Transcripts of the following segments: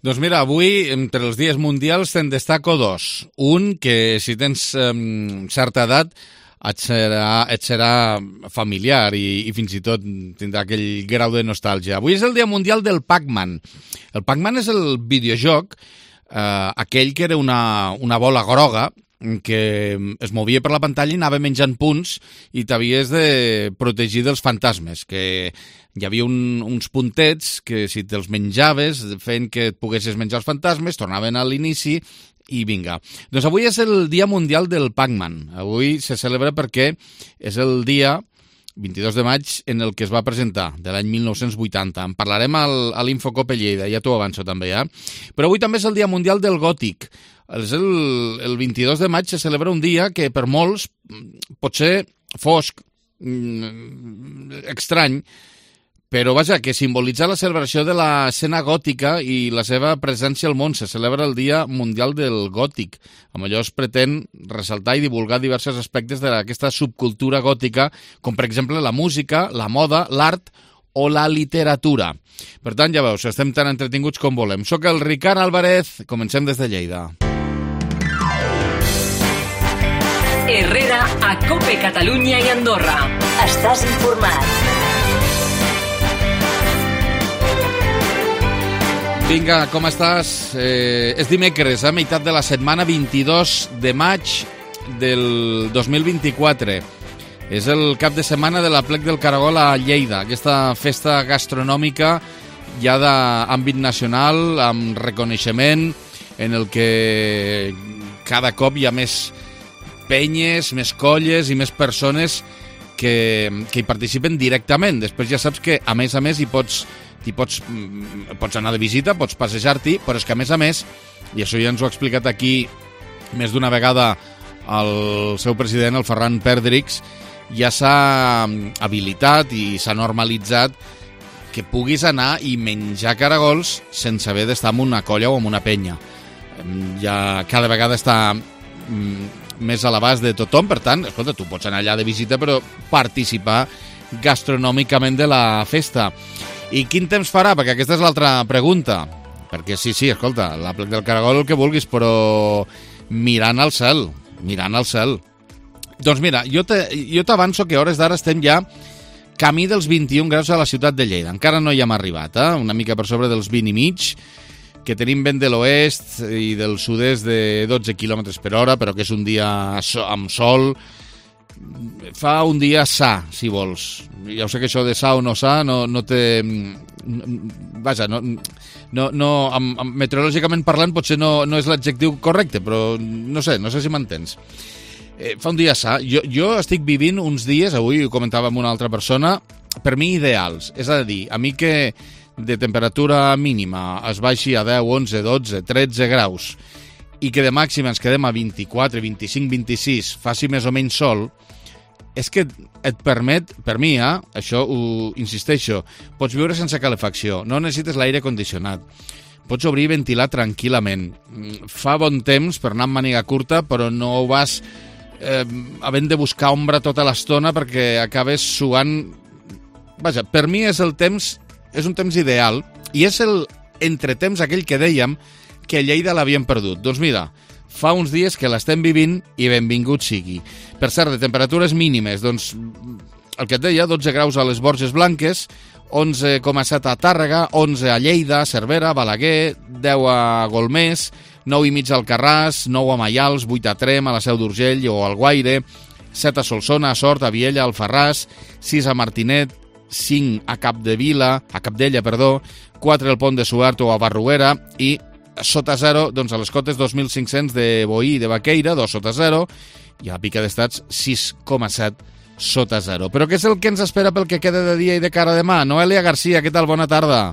Doncs mira, avui, entre els dies mundials, te'n destaco dos. Un, que si tens certa edat, et serà familiar i fins i tot tindrà aquell grau de nostàlgia. Avui és el Dia Mundial del Pac-Man. El Pac-Man és el videojoc, aquell que era una bola groga, que es movia per la pantalla i anava menjant punts i t'havies de protegir dels fantasmes, que hi havia uns puntets que si te'ls menjaves feien que et poguessis menjar els fantasmes, tornaven a l'inici i vinga. Doncs avui és el Dia Mundial del Pac-Man. Avui se celebra perquè és el dia 22 de maig en el que es va presentar, de l'any 1980. En parlarem a l'Infocop Lleida, ja t'ho avanço també, Però avui també és el Dia Mundial del Gòtic. És el 22 de maig se celebra un dia que per molts pot ser fosc, estrany, però vaja, que simbolitza la celebració de l'escena gòtica i la seva presència al món. Se celebra el Dia Mundial del Gòtic. Amb allò es pretén ressaltar i divulgar diversos aspectes d'aquesta subcultura gòtica, com per exemple la música, la moda, l'art o la literatura. Per tant, ja veus, estem tan entretinguts com volem. Soc el Ricard Álvarez, comencem des de Lleida. Herrera, a COPE Catalunya i Andorra. Estàs informat. Vinga, com estàs? És dimecres, meitat de la setmana, 22 de maig del 2024. És el cap de setmana de l'Aplec del Caragol a Lleida, aquesta festa gastronòmica ja d'àmbit nacional, amb reconeixement, en el que cada cop hi ha més penyes, més colles i més persones que hi participen directament. Després ja saps que, a més, pots anar de visita, pots passejar-t'hi, però és que, a més, i això ja ens ho ha explicat aquí més d'una vegada el seu president, el Ferran Perdrix, ja s'ha habilitat i s'ha normalitzat que puguis anar i menjar caragols sense haver d'estar en una colla o en una penya. Ja cada vegada està més a l'abast de tothom, per tant, escolta, tu pots anar allà de visita però participar gastronòmicament de la festa. I quin temps farà? Perquè aquesta és l'altra pregunta. Perquè sí, escolta, l'Aplec del Caragol el que vulguis, però mirant al cel. Doncs mira, jo t'avanço que a hores d'ara estem ja camí dels 21 graus a la ciutat de Lleida. Encara no hi hem arribat, una mica per sobre dels 20 i mig, que tenim vent de l'oest i del sud-est de 12 km per hora, però que és un dia amb sol. Fa un dia sa, si vols. Ja ho sé que això de sa o no sa no té... Vaja, meteorològicament parlant potser no és l'adjectiu correcte, però no sé si m'entens. Fa un dia sa. Jo estic vivint uns dies, avui ho comentava amb una altra persona, per mi ideals. És a dir, a mi que de temperatura mínima es baixi a 10, 11, 12, 13 graus i que de màxima ens quedem a 24, 25, 26, faci més o menys sol, és que et permet, per mi, això ho insisteixo, pots viure sense calefacció, no necessites l'aire condicionat, pots obrir i ventilar tranquil·lament, fa bon temps per anar amb màniga curta, però no ho vas havent de buscar ombra tota l'estona perquè acabes suant. Vaja, per mi és un temps ideal i és el entretemps aquell que dèiem que a Lleida l'havíem perdut. Doncs mira, fa uns dies que l'estem vivint i benvingut sigui. Per cert, de temperatures mínimes, doncs el que et deia, 12 graus a les Borges Blanques, 11,7 a Tàrrega, 11 a Lleida, Cervera, Balaguer, 10 a Golmés, 9,5 a Alcarràs, 9 a Maials, 8 a Trem, a la Seu d'Urgell o al Guaire, 7 a Solsona, a Sort, a Viella, a Alfarràs, 6 a Martinet, 5 a Capdella, 4 al Pont de Suert o a Barruera i sota zero, doncs a les cotes 2.500 de Boí i de Baqueira, 2 sota zero, i a la Pica d'Estats 6,7 sota zero. Però què és el que ens espera pel que queda de dia i de cara a demà? Noelia Garcia, què tal? Bona tarda.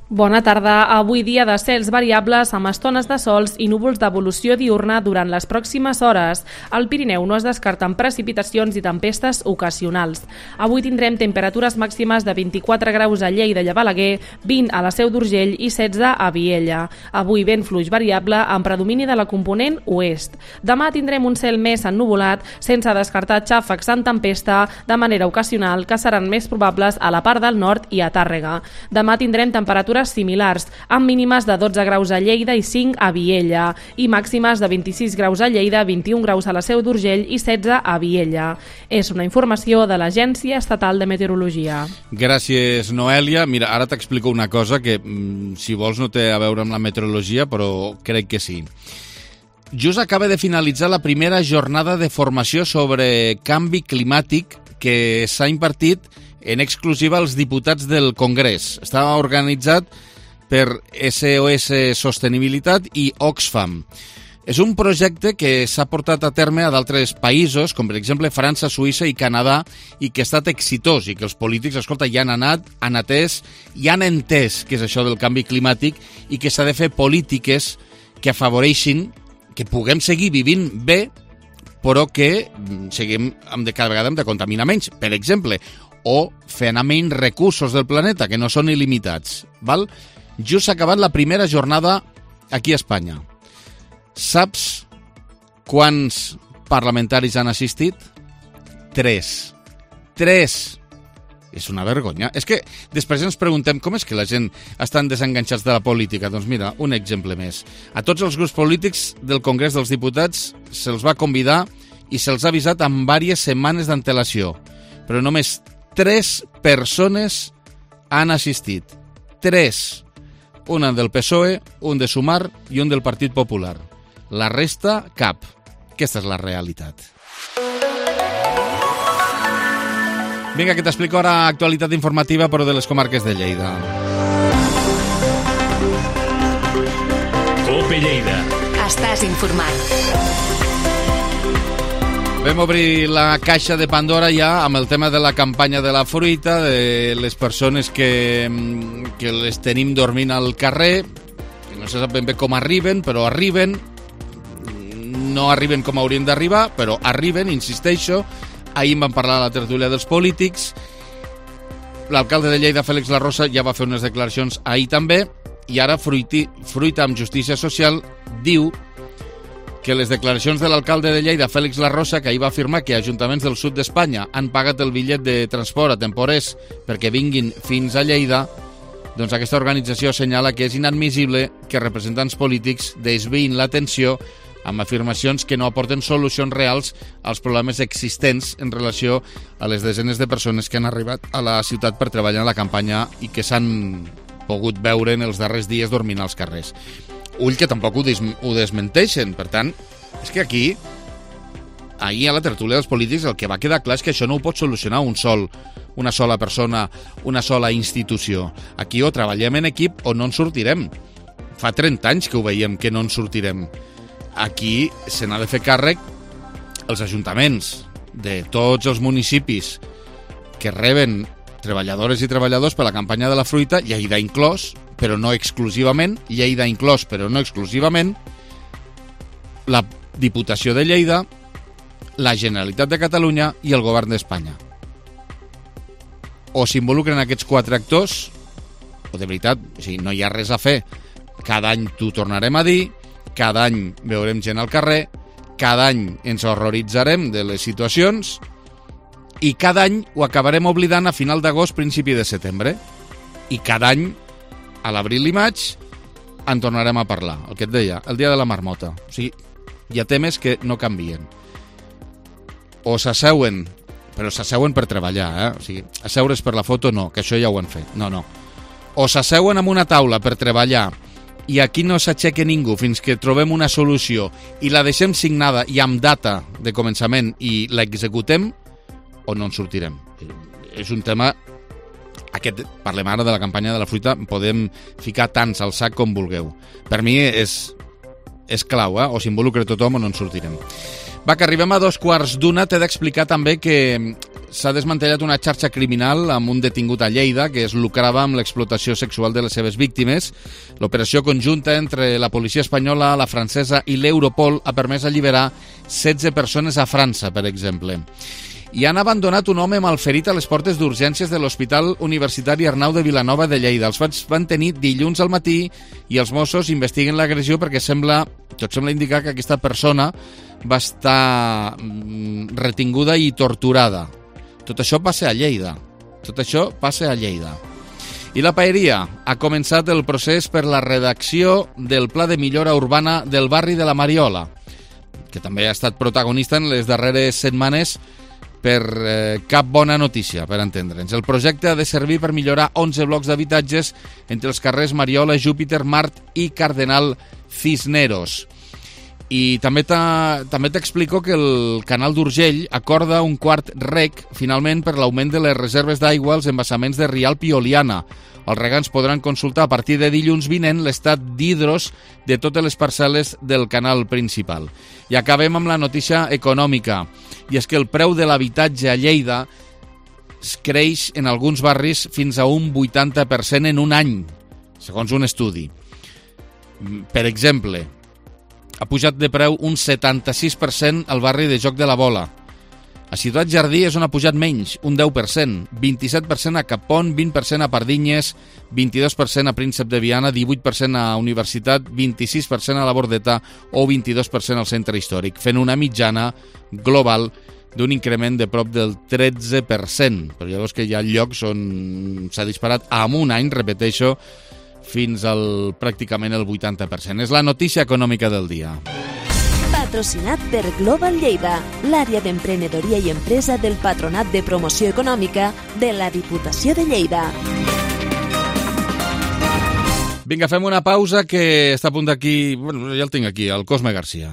Bona tarda. Avui dia de cels variables amb estones de sols i núvols d'evolució diurna durant les pròximes hores. Al Pirineu no es descarten precipitacions i tempestes ocasionals. Avui tindrem temperatures màximes de 24 graus a Lleida i a Balaguer, 20 a la Seu d'Urgell i 16 a Viella. Avui vent fluix variable amb predomini de la component oest. Demà tindrem un cel més ennuvolat, sense descartar xàfecs en tempesta de manera ocasional que seran més probables a la part del nord i a Tàrrega. Demà tindrem temperatures temperatures similars, amb mínimes de 12 graus a Lleida i 5 a Viella, i màximes de 26 graus a Lleida, 21 graus a la Seu d'Urgell i 16 a Viella. És una informació de l'Agència Estatal de Meteorologia. Gràcies, Noèlia. Mira, ara t'explico una cosa que, si vols, no té a veure amb la meteorologia, però crec que sí. Just acaba de finalitzar la primera jornada de formació sobre canvi climàtic que s'ha impartit en exclusiva als diputats del Congrés. Estava organitzat per SOS Sostenibilitat i Oxfam. És un projecte que s'ha portat a terme a d'altres països, com per exemple França, Suïssa i Canadà, i que ha estat exitós, i que els polítics, escolta, ja han anat, han atès i han entès què és això del canvi climàtic i que s'ha de fer polítiques que afavoreixin que puguem seguir vivint bé, però que seguim cada vegada hem de contaminar menys, per exemple, o fer anar menys recursos del planeta, que no són il·limitats. Val? Just s'ha acabat la primera jornada aquí a Espanya. Saps quants parlamentaris han assistit? 3. 3! És una vergonya. És que després ens preguntem com és que la gent estan desenganxats de la política. Doncs mira, un exemple més. A tots els grups polítics del Congrés dels Diputats se'ls va convidar i se'ls ha avisat amb diverses setmanes d'antelació. Però només 3 persones han assistit. 3. Una del PSOE, un de Sumar i un del Partit Popular. La resta, cap. Aquesta és la realitat. Vinga, que t'explico ara actualitat informativa, però de les comarques de Lleida. COPE Lleida. Estàs informat. Vam obrir la caixa de Pandora ja amb el tema de la campanya de la fruita, de les persones que les tenim dormint al carrer, que no se sap ben bé com arriben, però arriben, no arriben com haurien d'arribar, però arriben, insisteixo. Ahir en vam parlar a la tertúlia dels polítics. L'alcalde de Lleida, Fèlix Larrosa, ja va fer unes declaracions ahir també, i ara Fruita amb Justícia Social diu que les declaracions de l'alcalde de Lleida, Fèlix Larrosa, que ahir va afirmar que ajuntaments del sud d'Espanya han pagat el bitllet de transport a temporers perquè vinguin fins a Lleida, doncs aquesta organització assenyala que és inadmissible que representants polítics desviïn l'atenció amb afirmacions que no aporten solucions reals als problemes existents en relació a les desenes de persones que han arribat a la ciutat per treballar en la campanya i que s'han pogut veure en els darrers dies dormint als carrers. Ull que tampoc ho desmenteixen. Per tant, és que aquí, ahir a la tertúlia dels polítics, el que va quedar clar és que això no ho pot solucionar una sola persona, una sola institució. Aquí o treballem en equip o no en sortirem. Fa 30 anys que ho veiem que no en sortirem. Aquí se n'ha de fer càrrec els ajuntaments de tots els municipis que reben treballadores i treballadors per la campanya de la fruita, Lleida inclòs, però no exclusivament, Lleida inclòs, però no exclusivament, la Diputació de Lleida, la Generalitat de Catalunya i el Govern d'Espanya. O s'involucren aquests 4 actors, o de veritat, o sigui, no hi ha res a fer. Cada any t'ho tornarem a dir, cada any veurem gent al carrer, cada any ens horroritzarem de les situacions i cada any ho acabarem oblidant a final d'agost, principi de setembre. I cada any, a l'abril i maig, en tornarem a parlar. El que et deia, el dia de la marmota. O sigui, hi ha temes que no canvien. O s'asseuen, però s'asseuen per treballar, O sigui, asseure's per la foto no, que això ja ho han fet. No. O s'asseuen en una taula per treballar i aquí no s'aixeca ningú fins que trobem una solució i la deixem signada i amb data de començament i l'executem, o no en sortirem. És un tema... Parlem ara de la campanya de la fruita, podem ficar tants al sac com vulgueu. Per mi és clau, o s'involucra tothom o no en sortirem. Va, que arribem a 2:15. T'he d'explicar també que s'ha desmantellat una xarxa criminal amb un detingut a Lleida que es lucrava amb l'explotació sexual de les seves víctimes. L'operació conjunta entre la policia espanyola, la francesa i l'Europol ha permès alliberar 16 persones a França, per exemple. I han abandonat un home malferit a les portes d'urgències de l'Hospital Universitari Arnau de Vilanova de Lleida. Els fets van tenir dilluns al matí i els Mossos investiguen l'agressió perquè tot sembla indicar que aquesta persona va estar retinguda i torturada. Tot això passa a Lleida. I la Paeria ha començat el procés per la redacció del Pla de Millora Urbana del barri de la Mariola, que també ha estat protagonista en les darreres setmanes per cap bona notícia, per entendre'ns. El projecte ha de servir per millorar 11 blocs d'habitatges entre els carrers Mariola, Júpiter, Mart i Cardenal Cisneros. I també t'explico que el canal d'Urgell acorda un quart rec, finalment, per l'augment de les reserves d'aigua als embassaments de Rialp i Oliana. Els regants podran consultar a partir de dilluns vinent l'estat d'hidros de totes les parcel·les del canal principal. I acabem amb la notícia econòmica, i és que el preu de l'habitatge a Lleida creix en alguns barris fins a un 80% en un any, segons un estudi. Per exemple, ha pujat de preu un 76% al barri de Joc de la Bola. A Ciutat Jardí és on ha pujat menys, un 10%, 27% a Capon, 20% a Pardinyes, 22% a Príncep de Viana, 18% a Universitat, 26% a la Bordeta o 22% al Centre Històric, fent una mitjana global d'un increment de prop del 13%. Però llavors que hi ha llocs on s'ha disparat en un any, repeteixo, fins al pràcticament el 80%. És la notícia econòmica del dia. Patrocinat per Global Lleida, l'àrea d'emprenedoria i empresa del Patronat de Promoció Econòmica de la Diputació de Lleida. Vinga, fem una pausa que està a punt d'aquí... Bueno, ja el tinc aquí, el Cosme Garcia.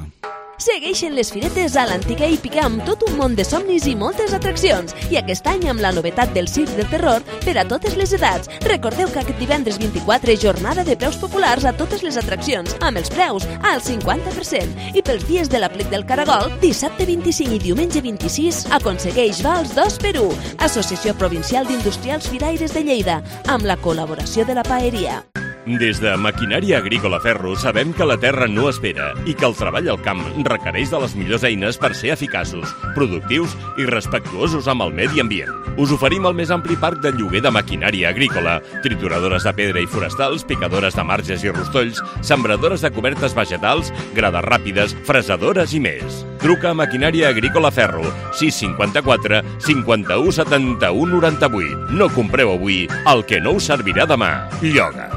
Segueixen les firetes a l'antiga Hípica amb tot un món de somnis i moltes atraccions. I aquest any amb la novetat del Circ del Terror per a totes les edats. Recordeu que aquest divendres 24 jornada de preus populars a totes les atraccions, amb els preus al 50%. I pels dies de l'aplec del Caragol, dissabte 25 i diumenge 26, aconsegueix vals 2x1. Associació Provincial d'Industrials Firaires de Lleida, amb la col·laboració de la Paeria. Des de Maquinària Agrícola Ferro sabem que la terra no espera i que el treball al camp requereix de les millors eines per ser eficaços, productius i respectuosos amb el medi ambient. Us oferim el més ampli parc de lloguer de maquinària agrícola, trituradores de pedra i forestals, picadores de marges i rostolls, sembradores de cobertes vegetals, grades ràpides, fresadores i més. Truca a Maquinària Agrícola Ferro, 654 51 71 98. No compreu avui el que no us servirà demà. Lloga.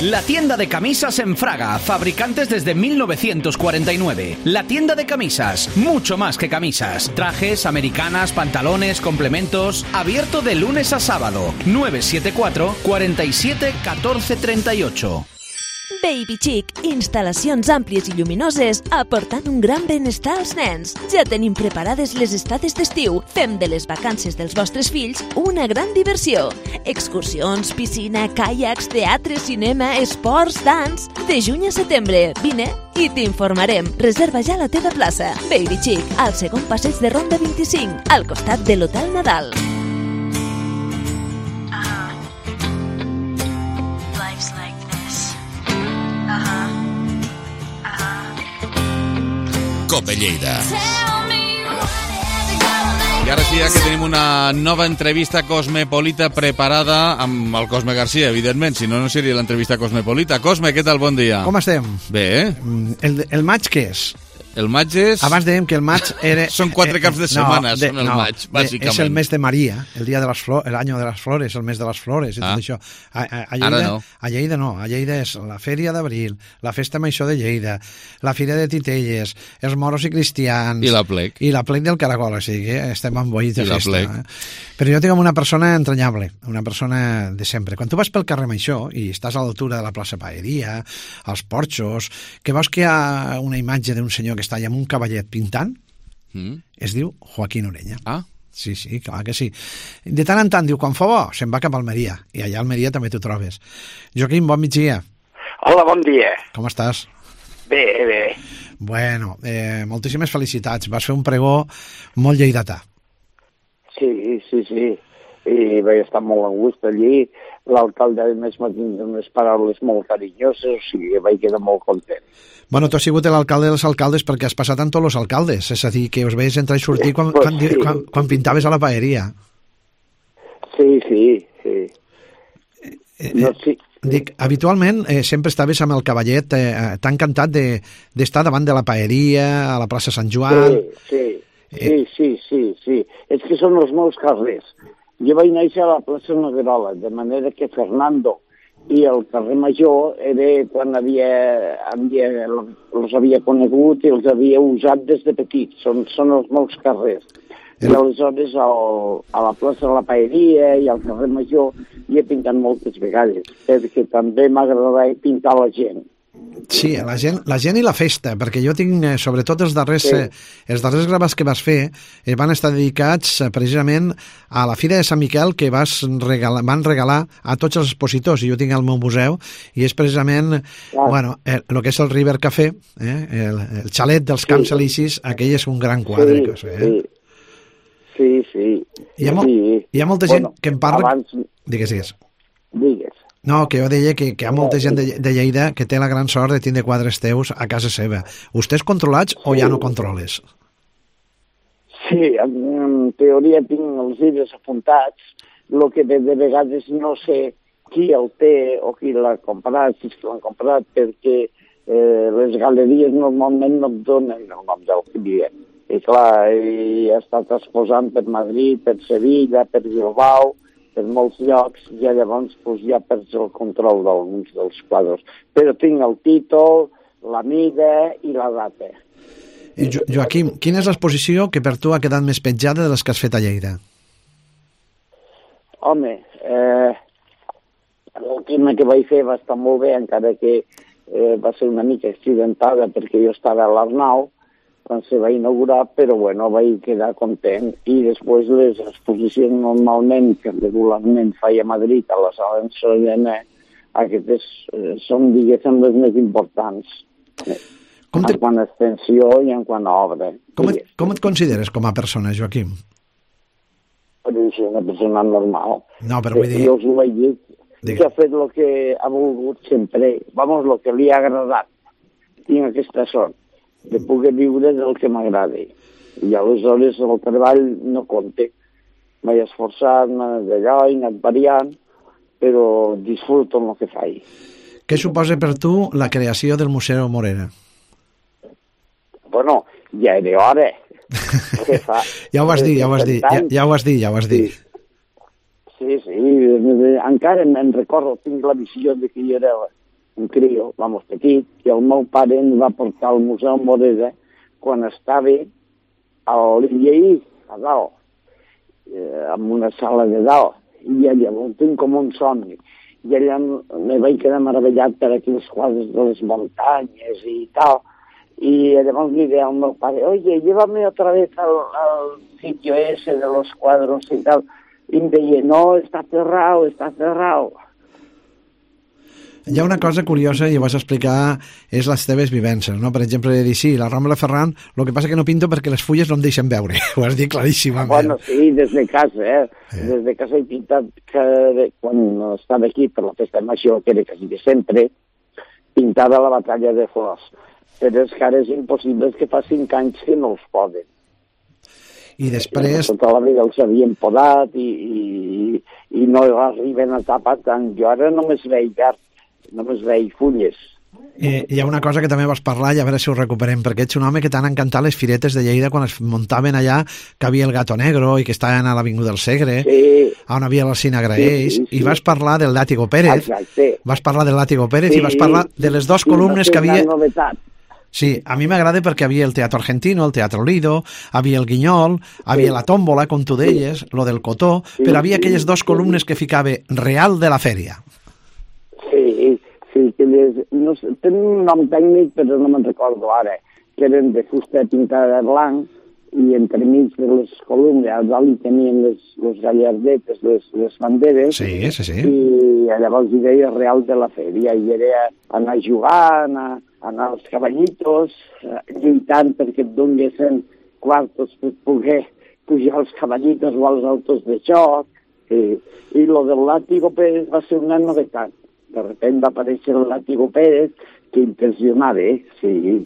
La tienda de camisas en Fraga, fabricantes desde 1949. La tienda de camisas, mucho más que camisas. Trajes, americanas, pantalones, complementos. Abierto de lunes a sábado. 974 47 14 38. Baby Chic, instal·lacions àmplies i lluminoses aportant un gran benestar als nens. Ja tenim preparades les estades d'estiu. Fem de les vacances dels vostres fills una gran diversió. Excursions, piscina, caiacs, teatre, cinema, esports, dans... De juny a setembre, vine i t'informarem. Reserva ja la teva plaça. Baby Chic, al segon passeig de Ronda 25, al costat de l'Hotel Nadal. Cope Lleida. I ara sí, que tenim una nova entrevista cosmopolita preparada amb el Cosme Garcia, evidentment, si no, no seria l'entrevista cosmopolita. Cosme, què tal? Bon dia. Com estem? Bé, El maig què és? El maig és... Abans dèiem que el maig era... Són 4 caps de setmana, són el maig, bàsicament. És el mes de Maria, el dia de les flors, l'any de les flores, el mes de les flores, i tot això. A Lleida, ara no. A Lleida no, a Lleida és la Fèria d'Abril, la Festa Major de Lleida, la Fira de Titelles, els moros i cristians... I la plec. I la plec del Caragol, o sigui que estem emboïts de festa. I la plec. Però jo tinc una persona entranyable, una persona de sempre. Quan tu vas pel carrer Major i estàs a l'altura de la plaça Paeria, als porxos, que veus que hi ha una imatge d'un senyor que està allà amb un cavallet pintant, es diu Joaquín Ureña. Ah? Sí, clar que sí. De tant en tant diu, quan fa bo, se'n va cap a Almeria, i allà a Almeria també t'ho trobes. Joaquín, bon migdia. Hola, bon dia. Com estàs? Bé. Bueno, moltíssimes felicitats. Vas fer un pregó molt lleidatà. Sí. I vaig estar molt a gust allí. L'alcalde, a més, m'ha tingut unes paraules molt carinyoses, o sigui, vaig quedar molt content. Bueno, tu has sigut l'alcalde dels alcaldes perquè has passat amb tots els alcaldes, és a dir, que us veies entrar i sortir quan pintaves a la paeria. Sí. Dic, habitualment sempre estaves amb el cavallet tan encantat d'estar davant de la paeria, a la plaça Sant Joan... Sí. És que són els meus carrers. Jo vaig néixer a la plaça Noguerola, de manera que Fernando i el carrer Major era quan els havia conegut i els havia usat des de petits. Són els meus carrers. I aleshores a la plaça de la Paeria i al carrer Major hi he pintat moltes vegades, perquè també m'agradava pintar la gent. Sí, la gent i la festa, perquè jo tinc, sobretot els darrers gravats que vas fer, van estar dedicats precisament a la Fira de Sant Miquel que van regalar a tots els expositors, i jo tinc al meu museu, i és precisament, el que és el River Café, el xalet dels Camps Elisis, aquell és un gran quadre. Sí. Hi ha molta gent que em parla... Digues. No, que jo deia que hi ha molta gent de Lleida que té la gran sort de tindre quadres teus a casa seva. Vostès controlats o ja no controles? Sí, en teoria tinc els llibres apuntats, el que de vegades no sé qui el té o qui l'ha comprat, si l'han comprat, perquè les galeries normalment no et donen el nom del client. I clar, he estat exposant per Madrid, per Sevilla, per Bilbao, per molts llocs, i llavors ja perds el control d'alguns dels quadres. Però tinc el títol, la mida i la data. Joaquim, quina és l'exposició que per tu ha quedat més petjada de les que has fet a Lleida? Home, l'última que vaig fer va estar molt bé, encara que va ser una mica accidentada perquè jo estava a l'Arnau quan se va inaugurar, però bueno, vaig quedar content. I després les exposicions normalment, que regularment faig a Madrid, a la Sala Ensordena, aquestes són, diguéssim, les més importants. En quant a extensió i en quant a obra. Com et consideres com a persona, Joaquim? Soc una persona normal. No, però vull dir... Jo us ho vaig dir, que ha fet el que ha volgut sempre. Vamos, el que li ha agradat. Tinc aquesta sort de poder viure del que m'agrada. I aleshores el treball no compte. M'he esforçat, d'allò, he anat variant, però disfruto el que faig. Què suposa per tu la creació del Museu Morera? Bueno, ja era hora. Ja ho vas dir. Sí, encara me'n recordo, tinc la visió de que jo era un crio, petit, i el meu pare em va portar al Museu Morera quan estava a l'Illeí, a dalt, en una sala de dalt, i llavors tinc com un somni. I allà me vaig quedar meravellat per aquells quadres de les muntanyes i tal, y además le dije al meu padre, oye, llévame otra vez al sitio ese de los cuadros y tal. Y me decía, no, está cerrado. Hi ha una cosa curiosa, i ho vas explicar, és les teves vivències, no? Per exemple, dir, sí, la Rambla Ferran, el que passa que no pinto perquè les fulles no em deixen veure. Ho has dit claríssimament. Bueno, sí, des de casa, Des de casa he pintat, quan estava aquí per la festa major, que era quasi de sempre, pintava la batalla de flors. Però és que ara és impossible, que fa 5 anys que no els poden. I després... Tota la vida els havien podat i no arriben a tapar tant. Jo ara només veig verd, només veig fulles. Hi ha una cosa que també vas parlar, i a veure si ho recuperem, perquè ets un home que t'han encantat les firetes de Lleida quan es muntaven allà, que havia el Gato Negro i que estaven a l'Avinguda del Segre, on havia l'Alcina Graells, i vas parlar del Látigo Pérez. Exacte. Vas parlar del Látigo Pérez i vas parlar de les 2 columnes que havia... Sí, a mi m'agrada perquè havia el Teatro Argentino, el Teatro Lido, havia el Guinyol, havia la Tómbola, com tu deies, lo del Cotó, però havia aquelles 2 columnes que ficava Real de la Fèria. Sí, que tenen un nom tècnic, però no me'n recordo ara, que eren de fusta pintada de blanc, i entremig de les columnes, a dalt hi tenien les gallardetes, les banderes, i llavors hi deia Real de la Fèria, i era anar a jugar, anar als cavallitos, lluitant perquè et donessin quartos per poder pujar als cavallitos o als autos de xoc, i lo del Látigo Pérez va ser una novetat. De repente va aparèixer el Látigo Pérez, que impressionava, sí.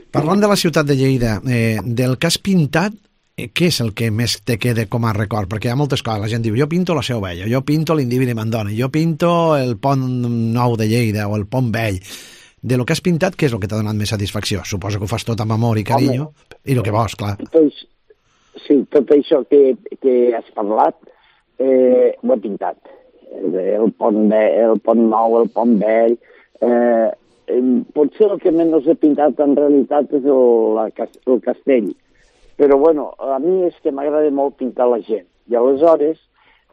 Parlant de la ciutat de Lleida, del que has pintat, què és el que més te queda com a record? Perquè hi ha moltes coses. La gent diu, jo pinto la Seu Vella, jo pinto l'Indívi de Mandona, jo pinto el Pont Nou de Lleida o el Pont Vell. De lo que has pintat, què és el que t'ha donat més satisfacció? Suposo que ho fas tot amb amor i carinyo, i el que vols, clar. Sí, tot això que has parlat, ho he pintat. El pont nou, el pont vell. Potser el que menys he pintat en realitat és el castell. Però bueno, a mi és que m'agrada molt pintar la gent. I aleshores,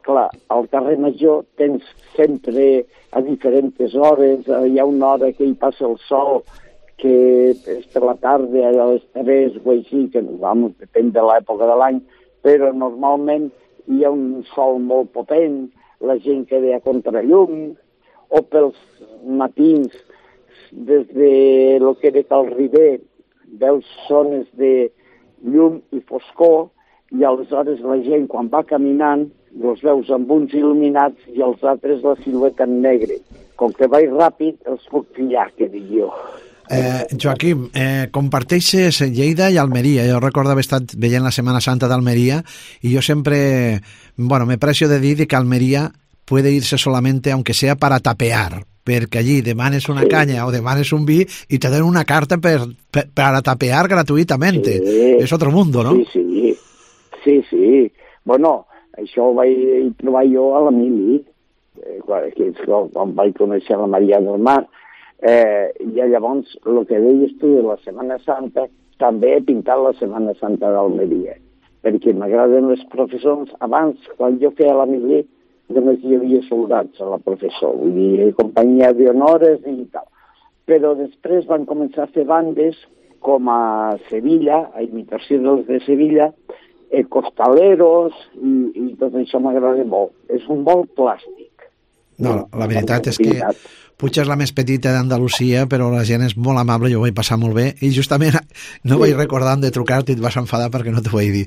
clar, al carrer Major tens sempre a diferents hores, hi ha una hora que hi passa el sol, que és per la tarda, a les 3 o així, que depèn de l'època de l'any, però normalment hi ha un sol molt potent, la gent queda a contrallum, o pels matins, des de lo que era Cal Riber, veus zones de llum i foscor, i aleshores la gent, quan va caminant, els veus amb uns il·luminats i els altres la silueta en negre. Com que vaig ràpid, els puc pillar, que dic jo. Joaquim, comparteixes Lleida i Almeria. Jo recordo haver estat veient la Setmana Santa d'Almeria i jo sempre, me precio de dir que Almeria puede irse solamente, aunque sea para tapear, perquè allí demanes una canya o demanes un vi i te dan una carta para tapear gratuitamente. És otro mundo, ¿no? Sí. Bueno, això ho vaig trobar jo a l'Emili, quan vaig conèixer la Maria del Mar. I llavors, el que deies tu de la Setmana Santa, també he pintat la Setmana Santa d'Almeria, perquè m'agraden les professors. Abans, quan jo feia l'Emili, només hi havia soldats a la professor, vull dir, companyia d'honores i tal. Però després van començar a fer bandes com a Sevilla, a imitació dels de Sevilla, costaleros, i tot això m'agrada molt. És un molt plàstic. No, la veritat és que Puig és la més petita d'Andalusia, però la gent és molt amable, jo ho vaig passar molt bé, i justament no vaig recordar de trucar-te i et vas enfadar perquè no t'ho vaig dir.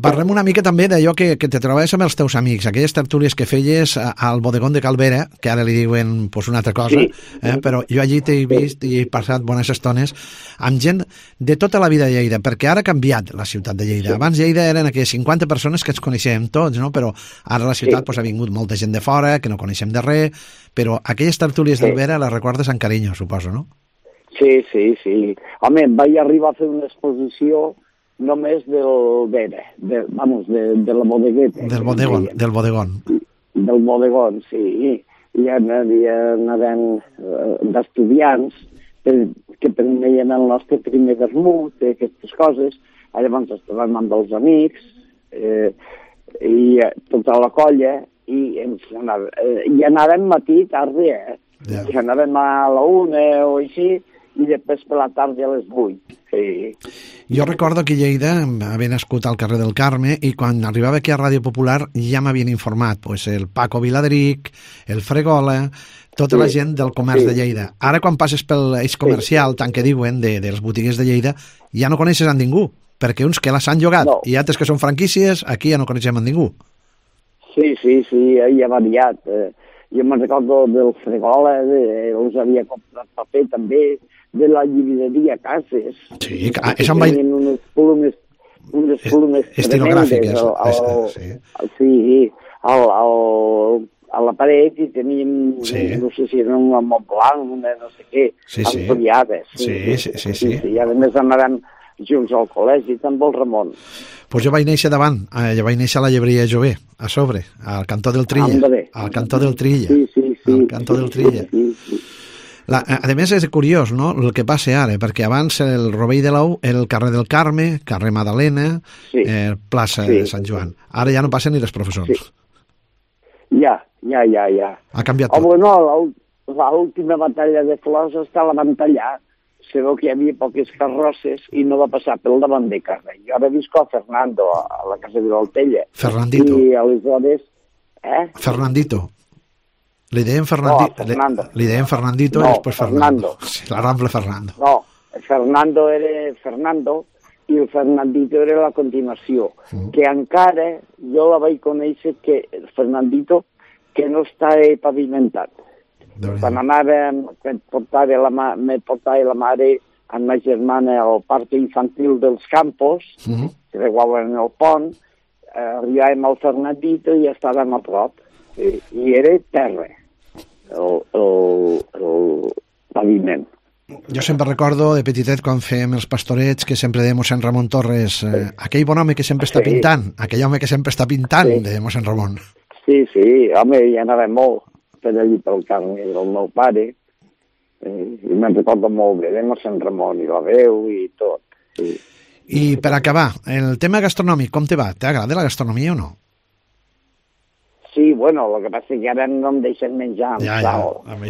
Parlem una mica també d'allò que te trobaves amb els teus amics, aquelles tertúlies que feies al bodegón de Calvera, que ara li diuen una altra cosa, però jo allí t'he vist i he passat bones estones amb gent de tota la vida de Lleida, perquè ara ha canviat la ciutat de Lleida. Abans Lleida eren aquelles 50 persones que ens coneixem tots, no? Però ara la ciutat ha vingut molta gent de fora, que no coneixem de res, però aquelles tertúlies d'Albera les recordes amb carinyo, suposo, no? Sí. Home, vaig arribar a fer una exposició només del Vera, de la bodegueta. Del bodegón. Del bodegón, sí. I anàvem d'estudiants que preneien el nostre primer vermut, aquestes coses. Llavors estàvem amb els amics i tota la colla i anàvem matí, tarda, I anàvem a la 1 o així, i després per la tarda a les 8. Sí. Jo recordo que Lleida havia nascut al carrer del Carme i quan arribava aquí a Ràdio Popular ja m'havien informat, el Paco Viladric, el Fregola, tota la gent del comerç de Lleida. Ara quan passes pel eix comercial, tant que diuen, dels botiguers de Lleida, ja no coneixes a ningú, perquè uns que les han llogat i altres que són franquícies, aquí ja no coneixem a ningú. Sí, ja ha variat. Jo me'n recordo del Fregola, els havia comprat paper també, de la llibreria Cases. Sí, això em vaig... Tenien unes plomes estilogràfiques. Sí, a la paret i teníem, no sé si era un Montblanc, no sé què, ampliades. Sí. I a més anàvem junts al col·legi, amb el Ramon. Pues jo vaig néixer davant, jo vaig néixer a la llebreria Jové, a sobre, al cantó del Trilla. Al cantó del Trilla. Sí. Al cantó del Trilla. A més és curiós, no?, el que passa ara, perquè abans el Rovell de l'Ou era el carrer del Carme, carrer Madalena, plaça de Sant Joan. Ara ja no passen ni les professors. Ja. Ha canviat tot. Bueno, l'última batalla de flors està la van tallar. Se veu que hi havia poques carrosses i no va passar pel davant de carrer. Jo ara visco a Fernando, a la casa de l'Altella. Fernandito. I aleshores... Fernandito. Li deien Fernandito. Fernando. Li deien Fernandito i després Fernando. Sí, la Rambla Fernando. No, Fernando era Fernando i el Fernandito era la continuació. Que encara jo la vaig conèixer que Fernandito que no està pavimentat. Quan anàvem, me portava la mare amb ma germana al parc infantil dels Campos, que creuaven el pont, arribàvem al Fernandito i estàvem a prop. I era terra, el paviment. Jo sempre recordo de petitet quan fèiem els pastorets que sempre deia mossèn Ramon Torres, aquell bon home que sempre està pintant, aquell home que sempre està pintant, deia mossèn Ramon. Sí, home, hi anava molt per allí pel carme del meu pare, i me'n recordo molt bé, amb Sant Ramon i la veu i tot, sí. I per acabar, el tema gastronòmic, com te va? T'agrada la gastronomia o no? Sí, bueno, el que passa és que ara no em deixen menjar amb sal. Amb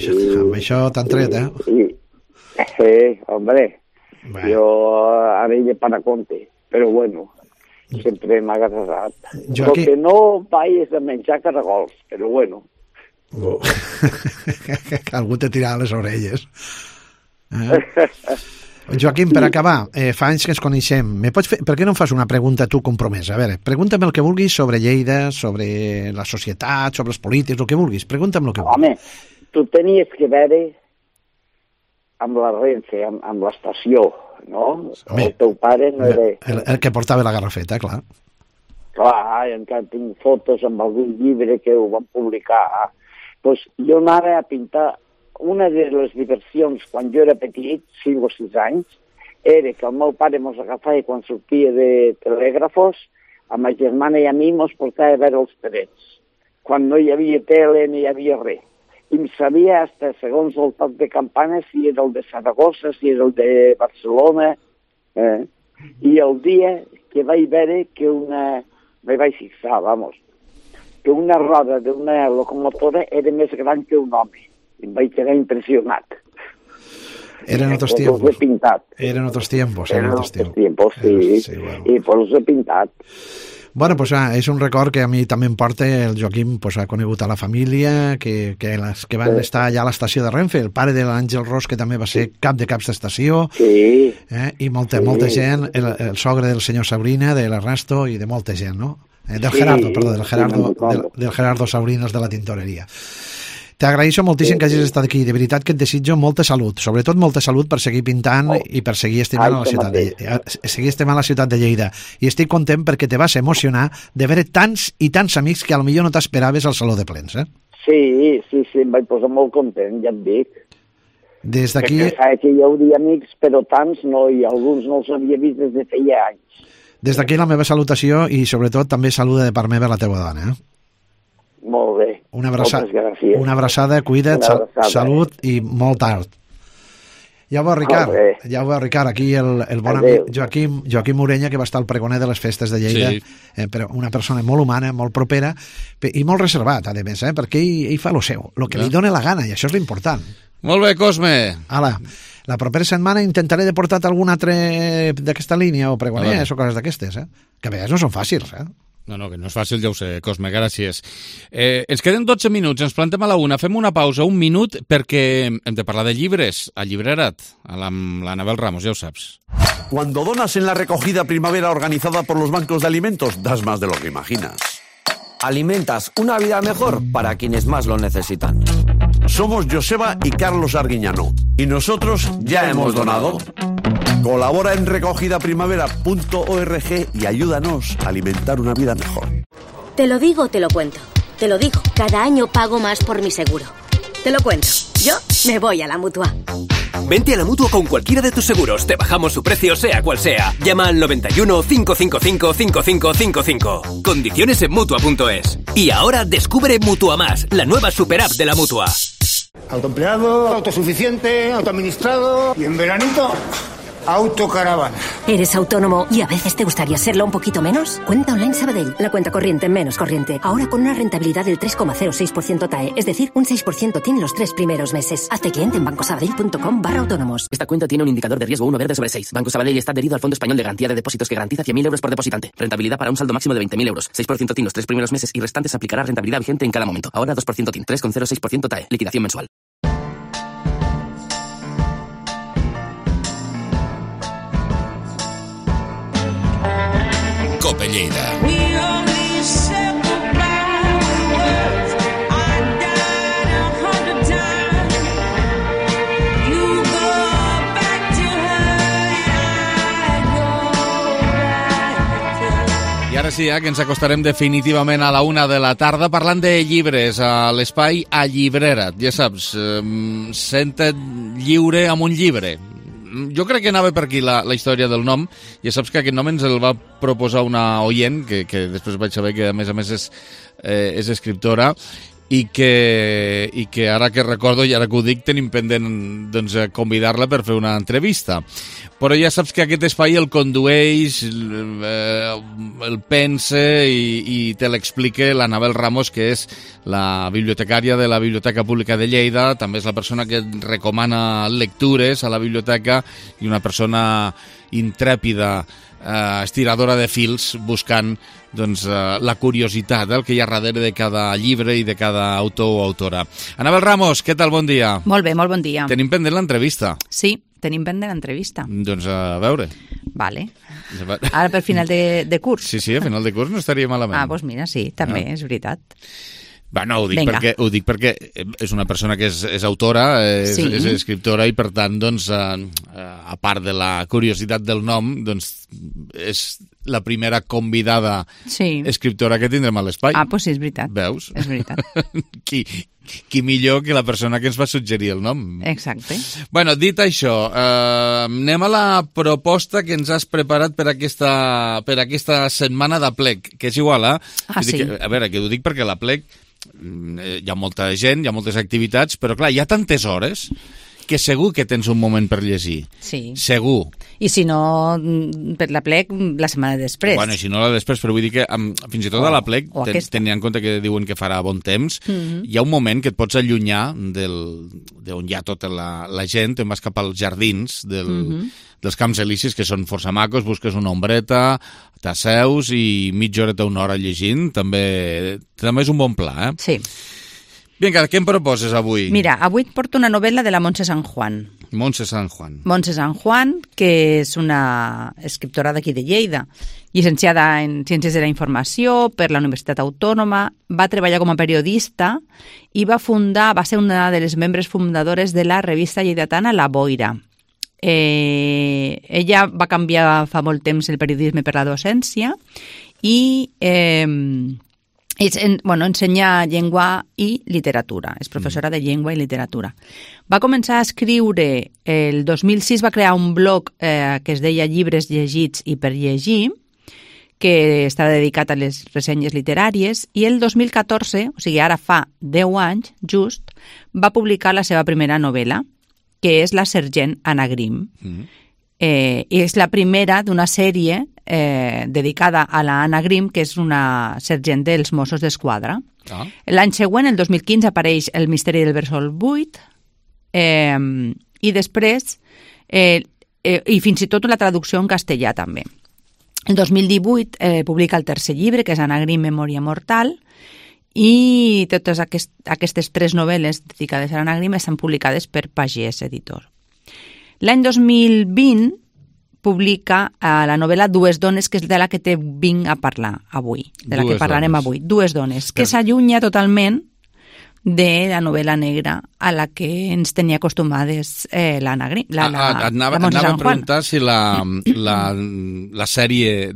això t'han tret, Hombre, jo ara hi he para compte, però bueno, sempre m'ha agradat. El que no vaig és a menjar caragols, però bueno. Algú te tirarà les orelles. Joaquim, per acabar, fa anys que ens coneixem. Per què no em fas una pregunta tu compromesa? A veure, pregúnta'm el que vulguis sobre Lleida, sobre la societat, sobre els polítics, el que vulguis. Pregúnta'm el que vulguis. Home, tu tenies que veure amb la Renfe, amb l'estació, no? Home, el teu pare no era... El que portava la garrafeta, clar. Clar, encara tinc fotos amb algun llibre que ho van publicar. Doncs jo anava a pintar. Una de les diversions, quan jo era petit, 5 o 6 anys, era que el meu pare mos agafava quan sortia de telègrafos, a ma germana i a mi mos portava a veure els trets. Quan no hi havia tele ni hi havia res. I em sabia, hasta segons el toc de campana, si era el de Saragossa, si era el de Barcelona. I el dia que vaig veure que me vaig fixar, que una roda d'una locomotora era més gran que un home. I em vaig quedar impressionat. Eren otros tiempos. Eren otros tiempos. Sí. I per els he pintat. Bueno, pues és un record que a mi també em porta. El Joaquim ha conegut a la família que van estar allà a l'estació de Renfe, el pare de l'Àngel Ros, que també va ser cap de caps d'estació, i molta gent, el sogre del senyor Sabrina, de l'Ernesto i de molta gent, no? Del Gerardo Sabrinas de la tintoreria. T'agraeixo moltíssim que hagis estat aquí. De veritat que et desitjo molta salut, sobretot molta salut per seguir pintant i per seguir estimant la ciutat de Lleida. I estic content perquè te vas emocionar de veure tants i tants amics que potser no t'esperaves al Saló de Plens, Sí, em vaig posar molt content, ja et dic. Des d'aquí... Perquè sabia que hi hauria amics, però tants no, i alguns no els havia vist des de feia anys. Des d'aquí la meva salutació i sobretot també saluda de part meva la teva dona, Molt bé. Una abraçada, cuida't, salut i molt art. Ja ho veu, Ricard, aquí el bon amic Joaquim Ureña, que va estar al pregoner de les festes de Lleida, però una persona molt humana, molt propera i molt reservat, a més, perquè ell fa lo seu, el que li dóna la gana, i això és l'important. Molt bé, Cosme. Ala, la propera setmana intentaré de portar algun altre d'aquesta línia o pregoners o coses d'aquestes, que a vegades no són fàcils, No, que no és fàcil, ja ho sé, Cosme, gràcies. Ens queden 12 minuts, ens plantem a la 1, fem una pausa, un minut, perquè hem de parlar de llibres, a Llibrera't, amb l'Anabel Ramos, ja ho saps. Cuando donas en la recogida primavera organizada por los bancos de alimentos, das más de lo que imaginas. Alimentas una vida mejor para quienes más lo necesitan. Somos Joseba y Carlos Arguiñano, y nosotros ya hemos donado. Colabora en recogidaprimavera.org y ayúdanos a alimentar una vida mejor. Te lo digo, te lo cuento. Te lo digo, cada año pago más por mi seguro. Te lo cuento, yo me voy a la Mutua. Vente a la Mutua con cualquiera de tus seguros. Te bajamos su precio, sea cual sea. Llama al 91 555 5555. Condiciones en Mutua.es. Y ahora descubre Mutua Más, la nueva super app de la Mutua. Autoempleado, autosuficiente, autoadministrado y en veranito... autocaravana. ¿Eres autónomo y a veces te gustaría serlo un poquito menos? Cuenta Online Sabadell, la cuenta corriente menos corriente. Ahora con una rentabilidad del 3,06% TAE, es decir, un 6% tiene los 3 primeros meses. Hazte cliente en bancosabadell.com/autónomos. Esta cuenta tiene un indicador de riesgo 1 verde sobre 6. Banco Sabadell está adherido al Fondo Español de Garantía de Depósitos que garantiza 100.000 euros por depositante. Rentabilidad para un saldo máximo de 20.000 euros. 6% TIN los 3 primeros meses y restantes aplicará rentabilidad vigente en cada momento. Ahora 2% TIN, 3,06% TAE. Liquidación mensual. Cope Lleida. I ara sí, que ens acostarem definitivament a la 1 de la tarda parlant de llibres a l'espai A Llibrera't. Ja saps, senta't lliure amb un llibre. jo crec que anava per aquí la història del nom. Ja saps que aquest nom ens el va proposar una oient, que després vaig saber que a més és escriptora, i que ara que recordo i ara que ho dic tenim pendent doncs, convidar-la per fer una entrevista. Però ja saps que aquest espai el condueix, el pense i te l'explica l'Anabel Ramos, que és la bibliotecària de la Biblioteca Pública de Lleida, també és la persona que recomana lectures a la biblioteca i una persona intrèpida, estiradora de fils, buscant doncs, la curiositat, el que hi ha darrere de cada llibre i de cada autor o autora. Anabel Ramos, què tal? Bon dia. Molt bé, molt bon dia. Tenim pendent l'entrevista. Sí, tenim pendent l'entrevista. Doncs a veure. Vale. Ara per final de curs. Sí, a final de curs no estaria malament. Doncs mira, sí, també, és veritat. No, ho dic perquè és una persona que és autora, és escriptora i per tant, doncs, a part de la curiositat del nom, doncs és la primera convidada escriptora que tindrem a l'espai. Doncs sí, és veritat. Veus? És veritat. Qui millor que la persona que ens va suggerir el nom. Exacte. Bueno, dit això, anem a la proposta que ens has preparat per aquesta setmana d'Aplec, que és igual, sí. A veure, que ho dic perquè l'Aplec hi ha molta gent, hi ha moltes activitats, però clar, hi ha tantes hores que segur que tens un moment per llegir. Sí. Segur. I si no, per l'Aplec, la setmana després. Bueno, si no la després, però vull dir que fins i tot a l'Aplec, tenint en compte que diuen que farà bon temps, hi ha un moment que et pots allunyar d'on hi ha tota la gent, te'n vas cap als jardins dels Camps Elisis, que són força macos, busques una ombreta, t'asseus i mitja horeta, una hora llegint, també és un bon pla, Sí. Vinga, què em proposes avui? Mira, avui et porto una novel·la de la Montse San Juan. Montse San Juan. Montse San Juan, que és una escriptora d'aquí de Lleida, llicenciada en Ciències de la Informació per la Universitat Autònoma, va treballar com a periodista i va ser una de les membres fundadores de la revista lleidatana La Boira. Ella va canviar fa molt temps el periodisme per la docència i ensenya llengua i literatura. És professora de llengua i literatura. Va començar a escriure, el 2006 va crear un blog que es deia Llibres llegits i per llegir, que està dedicat a les ressenyes literàries, i el 2014, o sigui, ara fa 10 anys, just, va publicar la seva primera novel·la, que és La sergent Anna Grimm. I és la primera d'una sèrie dedicada a la Anna Grimm, que és una sergent dels Mossos d'Esquadra. L'any següent, el 2015, apareix El misteri del Bressol buit, i després, i fins i tot la traducció en castellà també. El 2018 publica el tercer llibre, que és Anna Grimm, Memòria mortal, i totes aquestes 3 novel·les dedicades a l'Anna Grimm estan publicades per Pagès Editor. L'any 2020 publica la novel·la Dues dones, que és de la que te vinc a parlar avui, de la que parlarem avui. Dues dones, que s'allunya totalment de la novel·la negra a la que ens tenia acostumades l'Anna Grimm. Anava a preguntar si la sèrie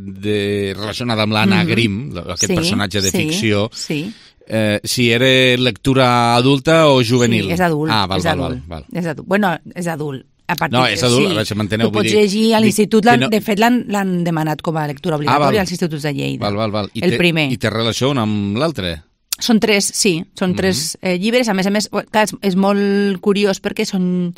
relacionada amb l'Anna Grimm, aquest personatge de ficció, si era lectura adulta o juvenil. Sí, és adult. És adult. Bueno, és adult. No, és adult, a veure si m'enteneu. Ho pots llegir a l'institut, de fet l'han demanat com a lectura obligatòria als instituts de Lleida. El primer. I té relació un amb l'altre? Són 3, sí, són 3 llibres. A més, clar, és molt curiós perquè són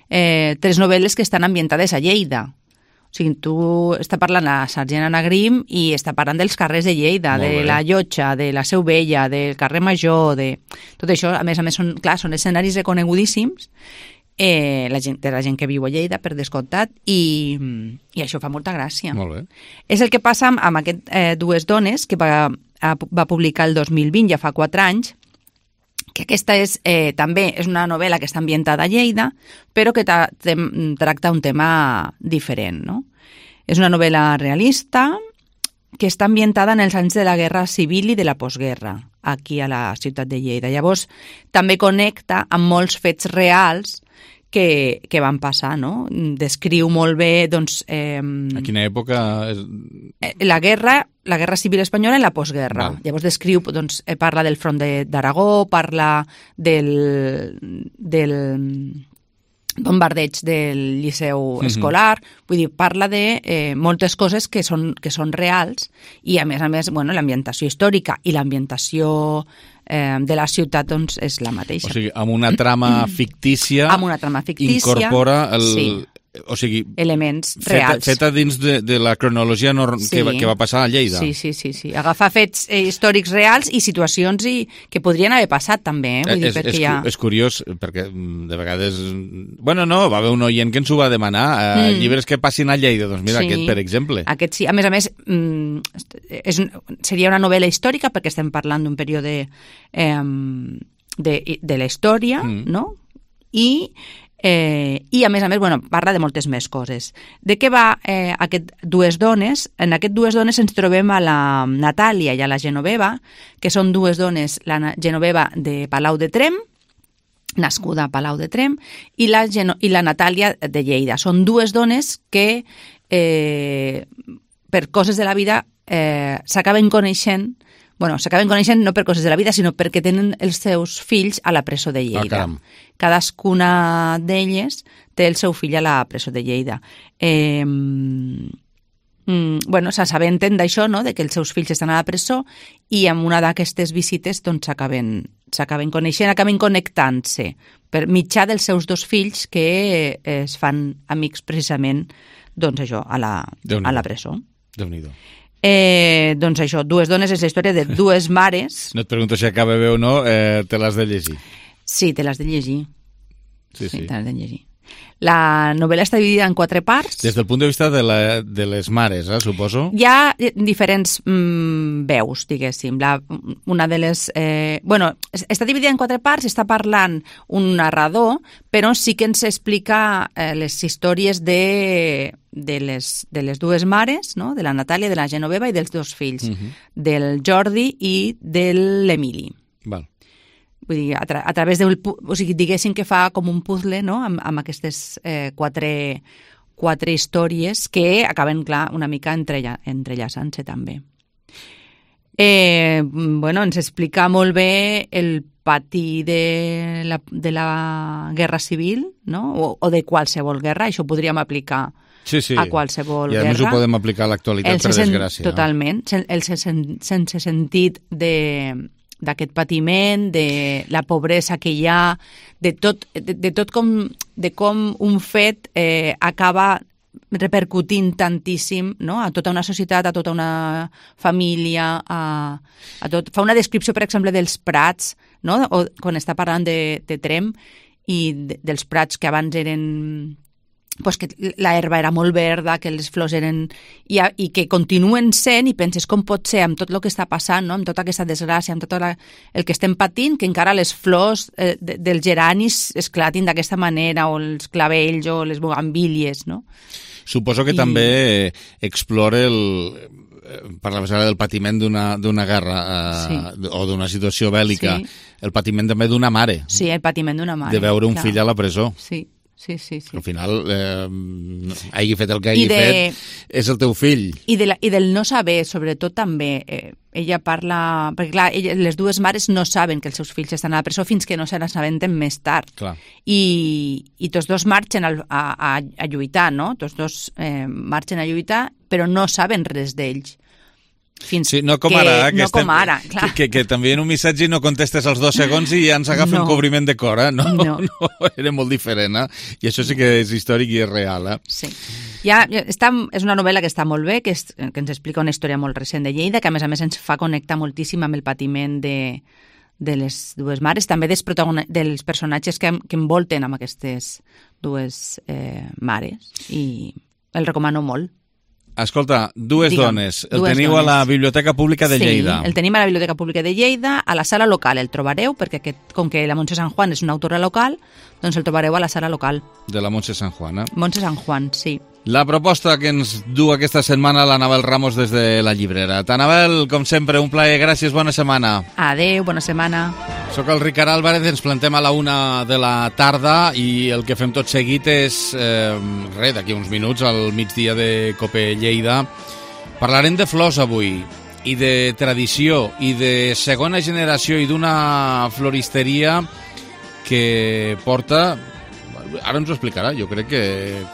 3 novel·les que estan ambientades a Lleida. O sigui, tu està parlant la sergent Anna Grimm i està parlant dels carrers de Lleida, de la Llotja, de la Seu Vella, del carrer Major, de tot això. A més, són escenaris reconegudíssims de la gent que viu a Lleida, per descomptat, i això fa molta gràcia. Molt bé. És el que passa amb aquest Dues dones, que va publicar el 2020, ja fa 4 anys, que aquesta també és una novel·la que està ambientada a Lleida, però que tracta un tema diferent, no? És una novel·la realista que està ambientada en els anys de la Guerra Civil i de la postguerra, aquí a la ciutat de Lleida. Llavors, també connecta amb molts fets reals que van passar, no? Descriu molt bé, doncs... A quina època? La guerra civil espanyola i la postguerra. Llavors descriu, doncs, parla del front d'Aragó, parla de bombardeig del Liceu escolar, vull dir, parla de moltes coses que són reals i, a més, bueno, l'ambientació històrica i l'ambientació de la ciutat doncs, és la mateixa. O sigui, amb una trama fictícia, incorpora elements reals. Feta dins de la cronologia que va passar a Lleida. Sí. Agafar fets històrics reals i situacions que podrien haver passat també. Vull dir, és curiós, perquè de vegades... Bueno, no, va haver un oient que ens ho va demanar, llibres que passin a Lleida, doncs mira, aquest, per exemple. Aquest sí, a més, seria una novel·la històrica perquè estem parlant d'un període de la història, no? I a més, bueno, parla de moltes més coses. De què va aquest Dues dones? En aquest Dues dones ens trobem a la Natàlia i a la Genoveva, que són dues dones, la Genoveva de Palau de Tremp, nascuda a Palau de Tremp, i la Natàlia de Lleida. Són dues dones que, per coses de la vida, s'acaben coneixent no per coses de la vida, sinó perquè tenen els seus fills a la presó de Lleida. Cadascuna d'elles té el seu fill a la presó de Lleida. Bueno, s'assabenten d'això, no?, de que els seus fills estan a la presó i amb una d'aquestes visites doncs s'acaben coneixent, acaben connectant-se per mitjà dels seus dos fills que es fan amics precisament, doncs això, a la presó. Déu-n'hi-do. Doncs això, Dues dones és la història de dues mares. No et pregunto si acaba bé o no, te l'has de llegir. Sí, te l'has de llegir. Sí. Te l'has de llegir. La novel·la està dividida en 4 parts. Des del punt de vista de les mares, suposo? Hi ha diferents veus, diguéssim. Una de les... està dividida en 4 parts, està parlant un narrador, però sí que ens explica les històries de les dues mares, no?, de la Natàlia, de la Genoveva i dels dos fills, del Jordi i de l'Emili. Val. Vull dir, a través del... O sigui, diguéssim que fa com un puzzle, no?, amb aquestes 4 històries que acaben, clar, una mica entrellaçant-se també. Ens explica molt bé el pati de la guerra civil, no?, o de qualsevol guerra, això ho podríem aplicar a qualsevol guerra. I a més ho podem aplicar a l'actualitat, per desgràcia. Totalment, sense sentit d'aquest patiment, de la pobresa que hi ha, de tot com un fet acaba repercutint tantíssim, no?, a tota una societat, a tota una família, Fa una descripció, per exemple, dels prats, no?, quan està parlant de Tremp i dels prats que abans eren... Pues que la herba era molt verda, que les flors eren... I que continuen sent, i penses com pot ser amb tot el que està passant, no?, amb tota aquesta desgràcia, amb tot el que estem patint, que encara les flors dels geranis esclatin d'aquesta manera, o els clavells, o les bugambílies, no? Suposo que també explora per la vessada del patiment d'una guerra o d'una situació bèl·lica, el patiment també d'una mare. Sí, el patiment d'una mare. De veure un fill a la presó. Sí. Al final, hagi fet el que hagi fet, és el teu fill. I del no saber, sobretot també, ella parla... Perquè, clar, les dues mares no saben que els seus fills estan a la presó fins que no se n'assabenten més tard. Clar. I tots dos marxen a lluitar, no? Tots dos marxen a lluitar, però no saben res d'ells. Sí, no com ara, clar. Que també en un missatge no contestes als 2 segons i ja ens agafa un cobriment de cor, No, era molt diferent, I això sí que és històric i és real, Sí. És una novel·la que està molt bé, que ens explica una història molt recent de Lleida, que a més ens fa connectar moltíssim amb el patiment de les dues mares, també dels personatges que envolten amb aquestes dues mares, i el recomano molt. Escolta, Dues dones. El teniu a la Biblioteca Pública de Lleida. Sí, el tenim a la Biblioteca Pública de Lleida, a la sala local el trobareu, perquè com que la Montse San Juan és una autora local, doncs el trobareu a la sala local. De la Montse San Juan, Montse San Juan, sí. La proposta que ens du aquesta setmana l'Anabel Ramos des de la llibrera. Anabel, com sempre, un plaer. Gràcies, bona setmana. Adéu, bona setmana. Soc el Ricard Álvarez, ens plantem a la 1 de la tarda i el que fem tot seguit és, d'aquí uns minuts, al migdia de Cope Lleida. Parlarem de flors avui, i de tradició, i de segona generació, i d'una floristeria que porta ara ens ho explicarà, jo crec que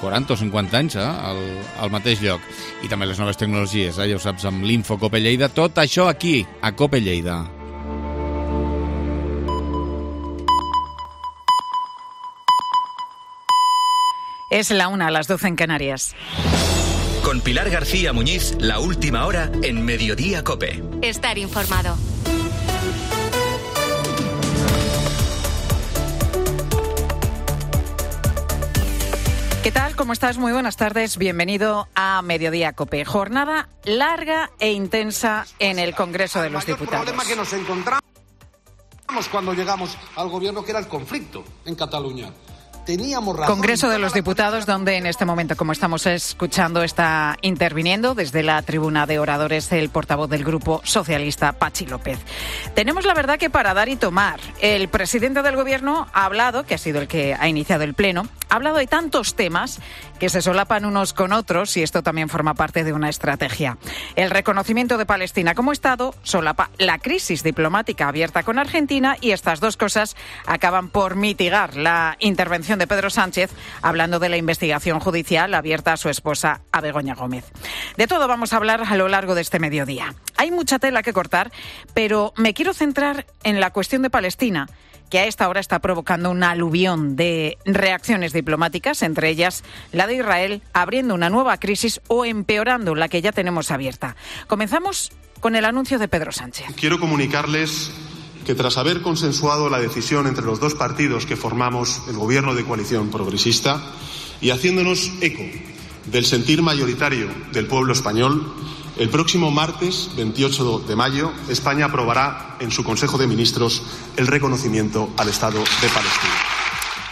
40 o 50 anys al mateix lloc. I també les noves tecnologies, ja ho saps, amb l'Info Cope Lleida, tot això aquí, a Cope Lleida. Es la 1, a las 12 en Canarias. Con Pilar García Muñiz, la última hora en Mediodía Cope. Estar informado. ¿Qué tal? ¿Cómo estás? Muy buenas tardes. Bienvenido a Mediodía Cope. Jornada larga e intensa en el Congreso de los Diputados. El problema que nos encontramos cuando llegamos al gobierno, que era el conflicto en Cataluña. Teníamos razón. Congreso de los Diputados, donde en este momento, como estamos escuchando, está interviniendo desde la tribuna de oradores el portavoz del Grupo Socialista, Pachi López. Tenemos la verdad que para dar y tomar. El presidente del Gobierno ha hablado, que ha sido el que ha iniciado el pleno, ha hablado de tantos temas que se solapan unos con otros y esto también forma parte de una estrategia. El reconocimiento de Palestina como Estado solapa la crisis diplomática abierta con Argentina y estas dos cosas acaban por mitigar la intervención de Pedro Sánchez hablando de la investigación judicial abierta a su esposa, a Begoña Gómez. De todo vamos a hablar a lo largo de este mediodía. Hay mucha tela que cortar, pero me quiero centrar en la cuestión de Palestina, que a esta hora está provocando una aluvión de reacciones diplomáticas, entre ellas la de Israel, abriendo una nueva crisis o empeorando la que ya tenemos abierta. Comenzamos con el anuncio de Pedro Sánchez. Quiero comunicarles que tras haber consensuado la decisión entre los dos partidos que formamos el Gobierno de coalición progresista y haciéndonos eco del sentir mayoritario del pueblo español, el próximo martes 28 de mayo España aprobará en su Consejo de Ministros el reconocimiento al Estado de Palestina.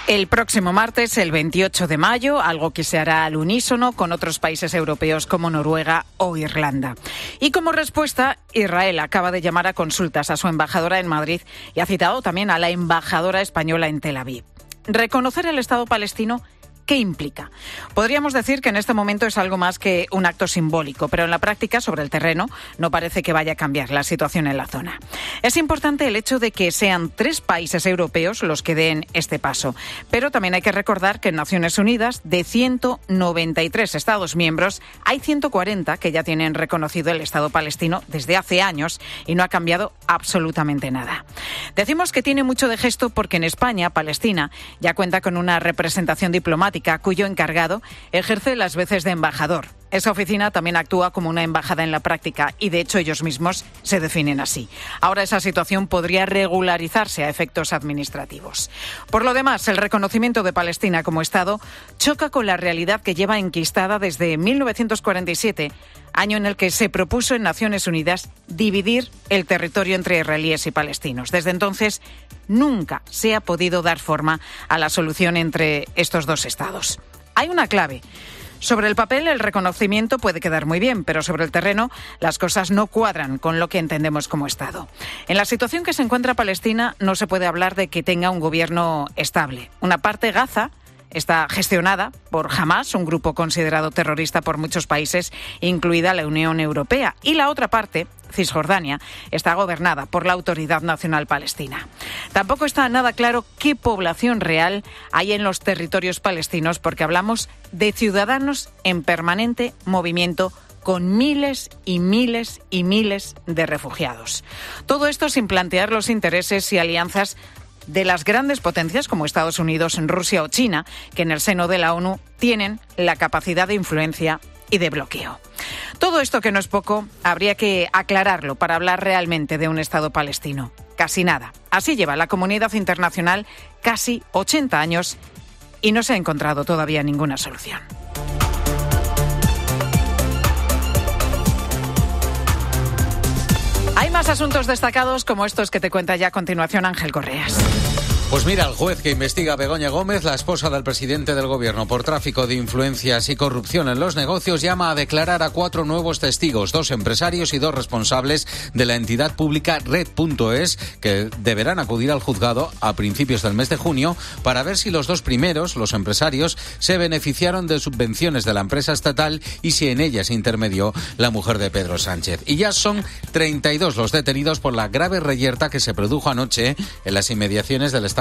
El próximo martes, el 28 de mayo, algo que se hará al unísono con otros países europeos como Noruega o Irlanda. Y como respuesta, Israel acaba de llamar a consultas a su embajadora en Madrid y ha citado también a la embajadora española en Tel Aviv. Reconocer el Estado palestino, ¿qué implica? Podríamos decir que en este momento es algo más que un acto simbólico, pero en la práctica, sobre el terreno, no parece que vaya a cambiar la situación en la zona. Es importante el hecho de que sean 3 países europeos los que den este paso, pero también hay que recordar que en Naciones Unidas, de 193 Estados miembros, hay 140 que ya tienen reconocido el Estado palestino desde hace años y no ha cambiado absolutamente nada. Decimos que tiene mucho de gesto porque en España, Palestina ya cuenta con una representación diplomática cuyo encargado ejerce las veces de embajador. Esa oficina también actúa como una embajada en la práctica y, de hecho, ellos mismos se definen así. Ahora esa situación podría regularizarse a efectos administrativos. Por lo demás, el reconocimiento de Palestina como Estado choca con la realidad que lleva enquistada desde 1947, año en el que se propuso en Naciones Unidas dividir el territorio entre israelíes y palestinos. Desde entonces, nunca se ha podido dar forma a la solución entre estos dos estados. Hay una clave. Sobre el papel, el reconocimiento puede quedar muy bien, pero sobre el terreno las cosas no cuadran con lo que entendemos como Estado. En la situación que se encuentra Palestina no se puede hablar de que tenga un gobierno estable. Una parte, Gaza, está gestionada por Hamás, un grupo considerado terrorista por muchos países, incluida la Unión Europea. Y la otra parte, Cisjordania, está gobernada por la Autoridad Nacional Palestina. Tampoco está nada claro qué población real hay en los territorios palestinos, porque hablamos de ciudadanos en permanente movimiento con miles y miles y miles de refugiados. Todo esto sin plantear los intereses y alianzas de las grandes potencias como Estados Unidos, Rusia o China, que en el seno de la ONU tienen la capacidad de influencia y de bloqueo. Todo esto, que no es poco, habría que aclararlo para hablar realmente de un Estado palestino. Casi nada. Así lleva la comunidad internacional casi 80 años y no se ha encontrado todavía ninguna solución. Hay más asuntos destacados como estos que te cuenta ya a continuación Ángel Correas. Pues mira, el juez que investiga a Begoña Gómez, la esposa del presidente del gobierno, por tráfico de influencias y corrupción en los negocios, llama a declarar a 4 nuevos testigos, 2 empresarios y 2 responsables de la entidad pública Red.es, que deberán acudir al juzgado a principios del mes de junio para ver si los 2 primeros, los empresarios, se beneficiaron de subvenciones de la empresa estatal y si en ellas intermedió la mujer de Pedro Sánchez. Y ya son 32 los detenidos por la grave reyerta que se produjo anoche en las inmediaciones del Estado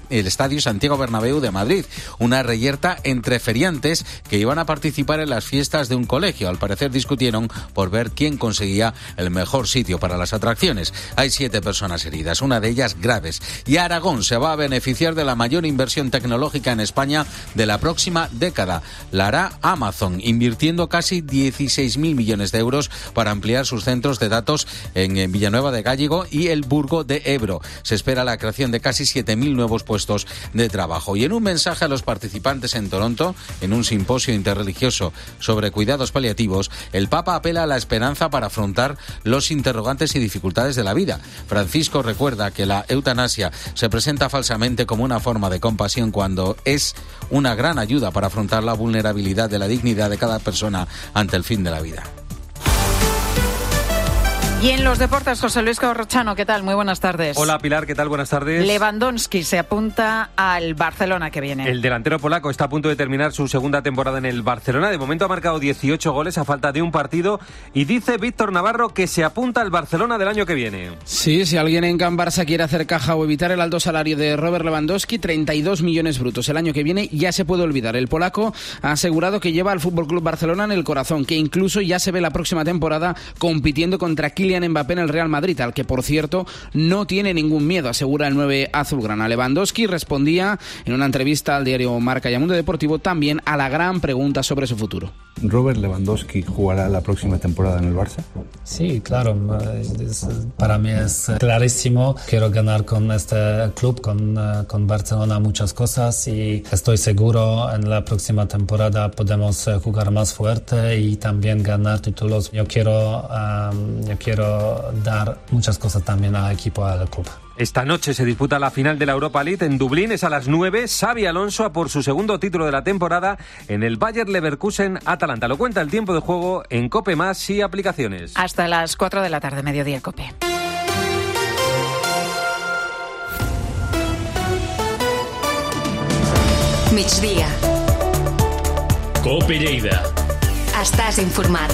Estadio Santiago Bernabéu de Madrid, una reyerta entre feriantes que iban a participar en las fiestas de un colegio. Al parecer discutieron por ver quién conseguía el mejor sitio para las atracciones. Hay 7 personas heridas, una de ellas graves. Y Aragón se va a beneficiar de la mayor inversión tecnológica en España de la próxima década. La hará Amazon, invirtiendo casi 16.000 millones de euros para ampliar sus centros de datos en Villanueva de Gállego y el Burgo de Ebro. Se espera la creación de casi 7.000 nuevos puestos de trabajo. Y en un mensaje a los participantes en Toronto, en un simposio interreligioso sobre cuidados paliativos, el Papa apela a la esperanza para afrontar los interrogantes y dificultades de la vida. Francisco recuerda que la eutanasia se presenta falsamente como una forma de compasión cuando es una gran ayuda para afrontar la vulnerabilidad de la dignidad de cada persona ante el fin de la vida. Y en los deportes, José Luis Corrochano, ¿qué tal? Muy buenas tardes. Hola Pilar, ¿qué tal? Buenas tardes. Lewandowski se apunta al Barcelona que viene. El delantero polaco está a punto de terminar su segunda temporada en el Barcelona. De momento ha marcado 18 goles a falta de un partido y dice Víctor Navarro que se apunta al Barcelona del año que viene. Sí, si alguien en Can Barça quiere hacer caja o evitar el alto salario de Robert Lewandowski, 32 millones brutos el año que viene, ya se puede olvidar. El polaco ha asegurado que lleva al FC Barcelona en el corazón, que incluso ya se ve la próxima temporada compitiendo contra Kylian Mbappé en el Real Madrid, al que, por cierto, no tiene ningún miedo, asegura el 9 azulgrana. Lewandowski respondía en una entrevista al diario Marca y a Mundo Deportivo también a la gran pregunta sobre su futuro. ¿Robert Lewandowski jugará la próxima temporada en el Barça? Sí, claro. Para mí es clarísimo. Quiero ganar con este club, con Barcelona, muchas cosas y estoy seguro en la próxima temporada podemos jugar más fuerte y también ganar títulos. Yo quiero dar muchas cosas también al equipo, al club. Esta noche se disputa la final de la Europa League en Dublín, es a las 9. Xabi Alonso a por su segundo título de la temporada en el Bayer Leverkusen-Atalanta. Lo cuenta el tiempo de juego en COPE+ y aplicaciones. Hasta las 4 de la tarde, mediodía COPE. Migdia. COPE Lleida. Estàs informat.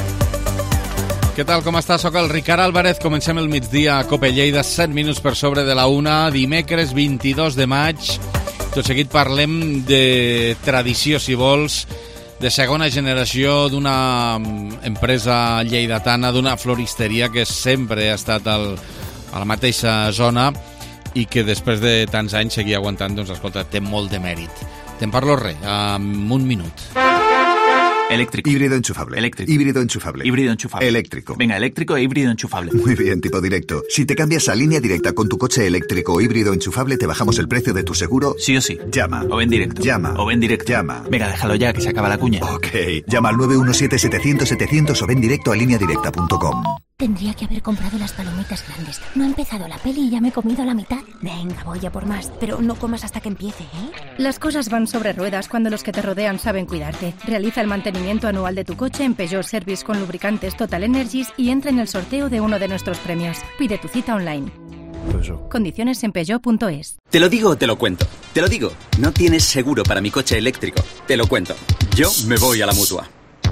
Què tal, com està? Soc el Ricard Álvarez. Comencem el migdia a COPE Lleida, 7 minuts per sobre de la 1, dimecres 22 de maig. Tot seguit parlem de tradició, si vols, de segona generació d'una empresa lleidatana, d'una floristeria que sempre ha estat a la mateixa zona i que després de tants anys seguir aguantant, doncs escolta, té molt de mèrit. Te'n parlo en un minut. Eléctrico. Híbrido enchufable. Eléctrico. Híbrido enchufable. Híbrido enchufable. Eléctrico. Venga, eléctrico e híbrido enchufable. Muy bien, tipo directo. Si te cambias a línea directa con tu coche eléctrico o híbrido enchufable, te bajamos el precio de tu seguro. Sí o sí. Llama. O ven directo. Llama. O ven directo. Llama. Venga, déjalo ya, que se acaba la cuña. Ok. Llama al 917-700-700 o ven directo a lineadirecta.com. Tendría que haber comprado las palomitas grandes. No ha empezado la peli y ya me he comido la mitad. Venga, voy a por más. Pero no comas hasta que empiece, ¿eh? Las cosas van sobre ruedas cuando los que te rodean saben cuidarte. Realiza el mantenimiento anual de tu coche en Peugeot Service con lubricantes Total Energies y entra en el sorteo de uno de nuestros premios. Pide tu cita online. Condiciones en Peugeot.es. Te lo digo o te lo cuento. Te lo digo. No tienes seguro para mi coche eléctrico. Te lo cuento. Yo me voy a la Mutua.